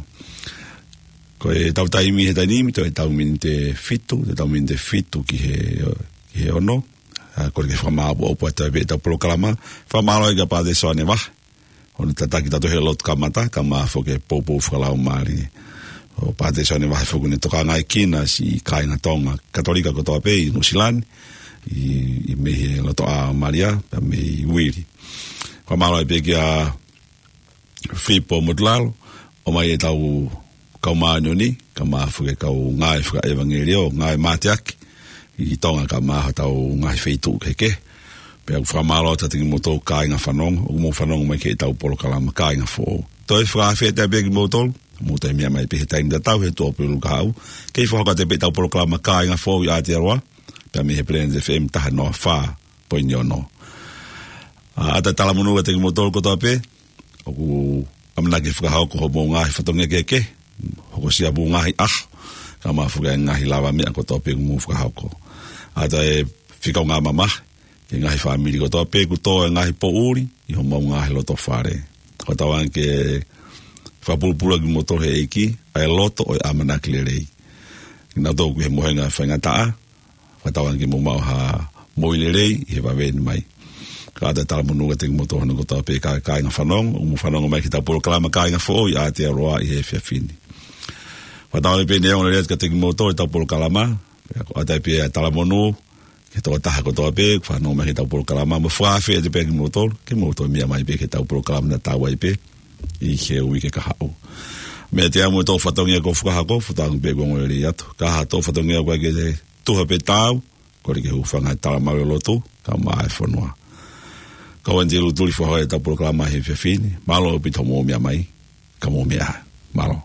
Ko ʻetau taimi he taimi ni, toe ʻetau miniti ʻe fitu, toe ʻetau miniti ʻe fitu ki he, ki he ono. ʻA, ko e ke fakamāʻopoʻopo atu pē ʻetau polokalama. Fakamālō kia Pātele Soane Vahe hono tataki tautolu he lotu kamata, kae ʻumaʻā foki e poupou fakalaumālie. ʻO Pātele Soane Vahe foki ʻoku ne tokangaʻi kinaua siʻi kāinga Tonga Katolika kotoa pē ʻi Nuʻusila ni, ʻi, ʻi mei he Lotoʻā Malia, pea mei Uili. Fakamālō pē kia Filipo Motulalo, ʻomai ʻetau kau māʻoniʻoni, kae ʻumaʻā foki e kau ngāue fakaʻevangeliō, ngāue mateaki ʻi Tonga kae ʻumaʻā hotau ngaahi feituʻu kehekehe. Pea ʻoku fakamālō atu kiate kimoutolu kāinga fanongo, ʻoku mou fanongo mai ki heʻetau polokalama Kāinga Foʻou. Toe fakaafeʻi atu pē kimoutolu, mou toe meʻa mai pē he taimi tatau he Tuʻapulelulu kahaʻu, ke fakahoko atu pē ʻetau polokalama Kāinga Foʻou ʻi Aotearoa, pea mei he Planet F M taha noa fā poini ono. ʻA, ʻoatu e talamonū kiate kimoutolu kotoa pē ʻoku ʻamanaki fakahoko hoʻomou ngaahi fatongia kehekehe, hokosia hoʻomou ngaahi ʻaho, kae ʻumaʻā foki e ngaahi lavameʻa kotoa pē ʻoku mou fakahoko. ʻOatu e fika ʻo e ngaahi mamahi ki he ngaahi fāmili kotoa pē ʻoku tō e ngaahi poʻuli ʻi homou ngaahi loto fale. Fakatauange ke fakapulupulu ʻaki kimoutolu ʻe he ʻEiki ʻa e loto ʻo e ʻamanaki lelei. Kinautolu ʻoku ʻi he mohenga faingataʻa, fakatauange ke mou maʻu ha moʻui lelei ʻi he vave ni mai. Kae ʻoatu e talamonū kiate kimoutolu hono kotoa pē kāinga fanongo, ʻoku mou fanongo mai ki heʻetau polokalama Kāinga Foʻou ʻi Aotearoa ʻi he efiafi ni. Fakatauange pē ʻe ongo lelei atu kiate kimoutolu ʻetau polokalama, pea ʻoku ʻoatu pē ʻa e talamonū ki he tokotaha kotoa pē ʻoku fanongo mai ki heʻetau polokalama, mo fakaafeʻi atu pē kimoutolu, ke mou toe meʻa mai pē ki heʻetau polokalama naʻa tau ʻai pē ʻi he uike kahaʻu. Meʻa te amu e tō fatongia ko fakahoko, fakatauange pē ʻoku ongo lelei atu. Ka ha tō fatongia ko ē ke tuha pe taau, kole ke hūfanga he talamalu ʻo e lotu, kae ʻumaʻā e fonua. Ko au Aniteli Lutuli, fakahoko ʻetau polokalama he efiafi ni. Mālō ʻaupito hoʻomou meʻa mai, ka mou meʻa ā. Mālō.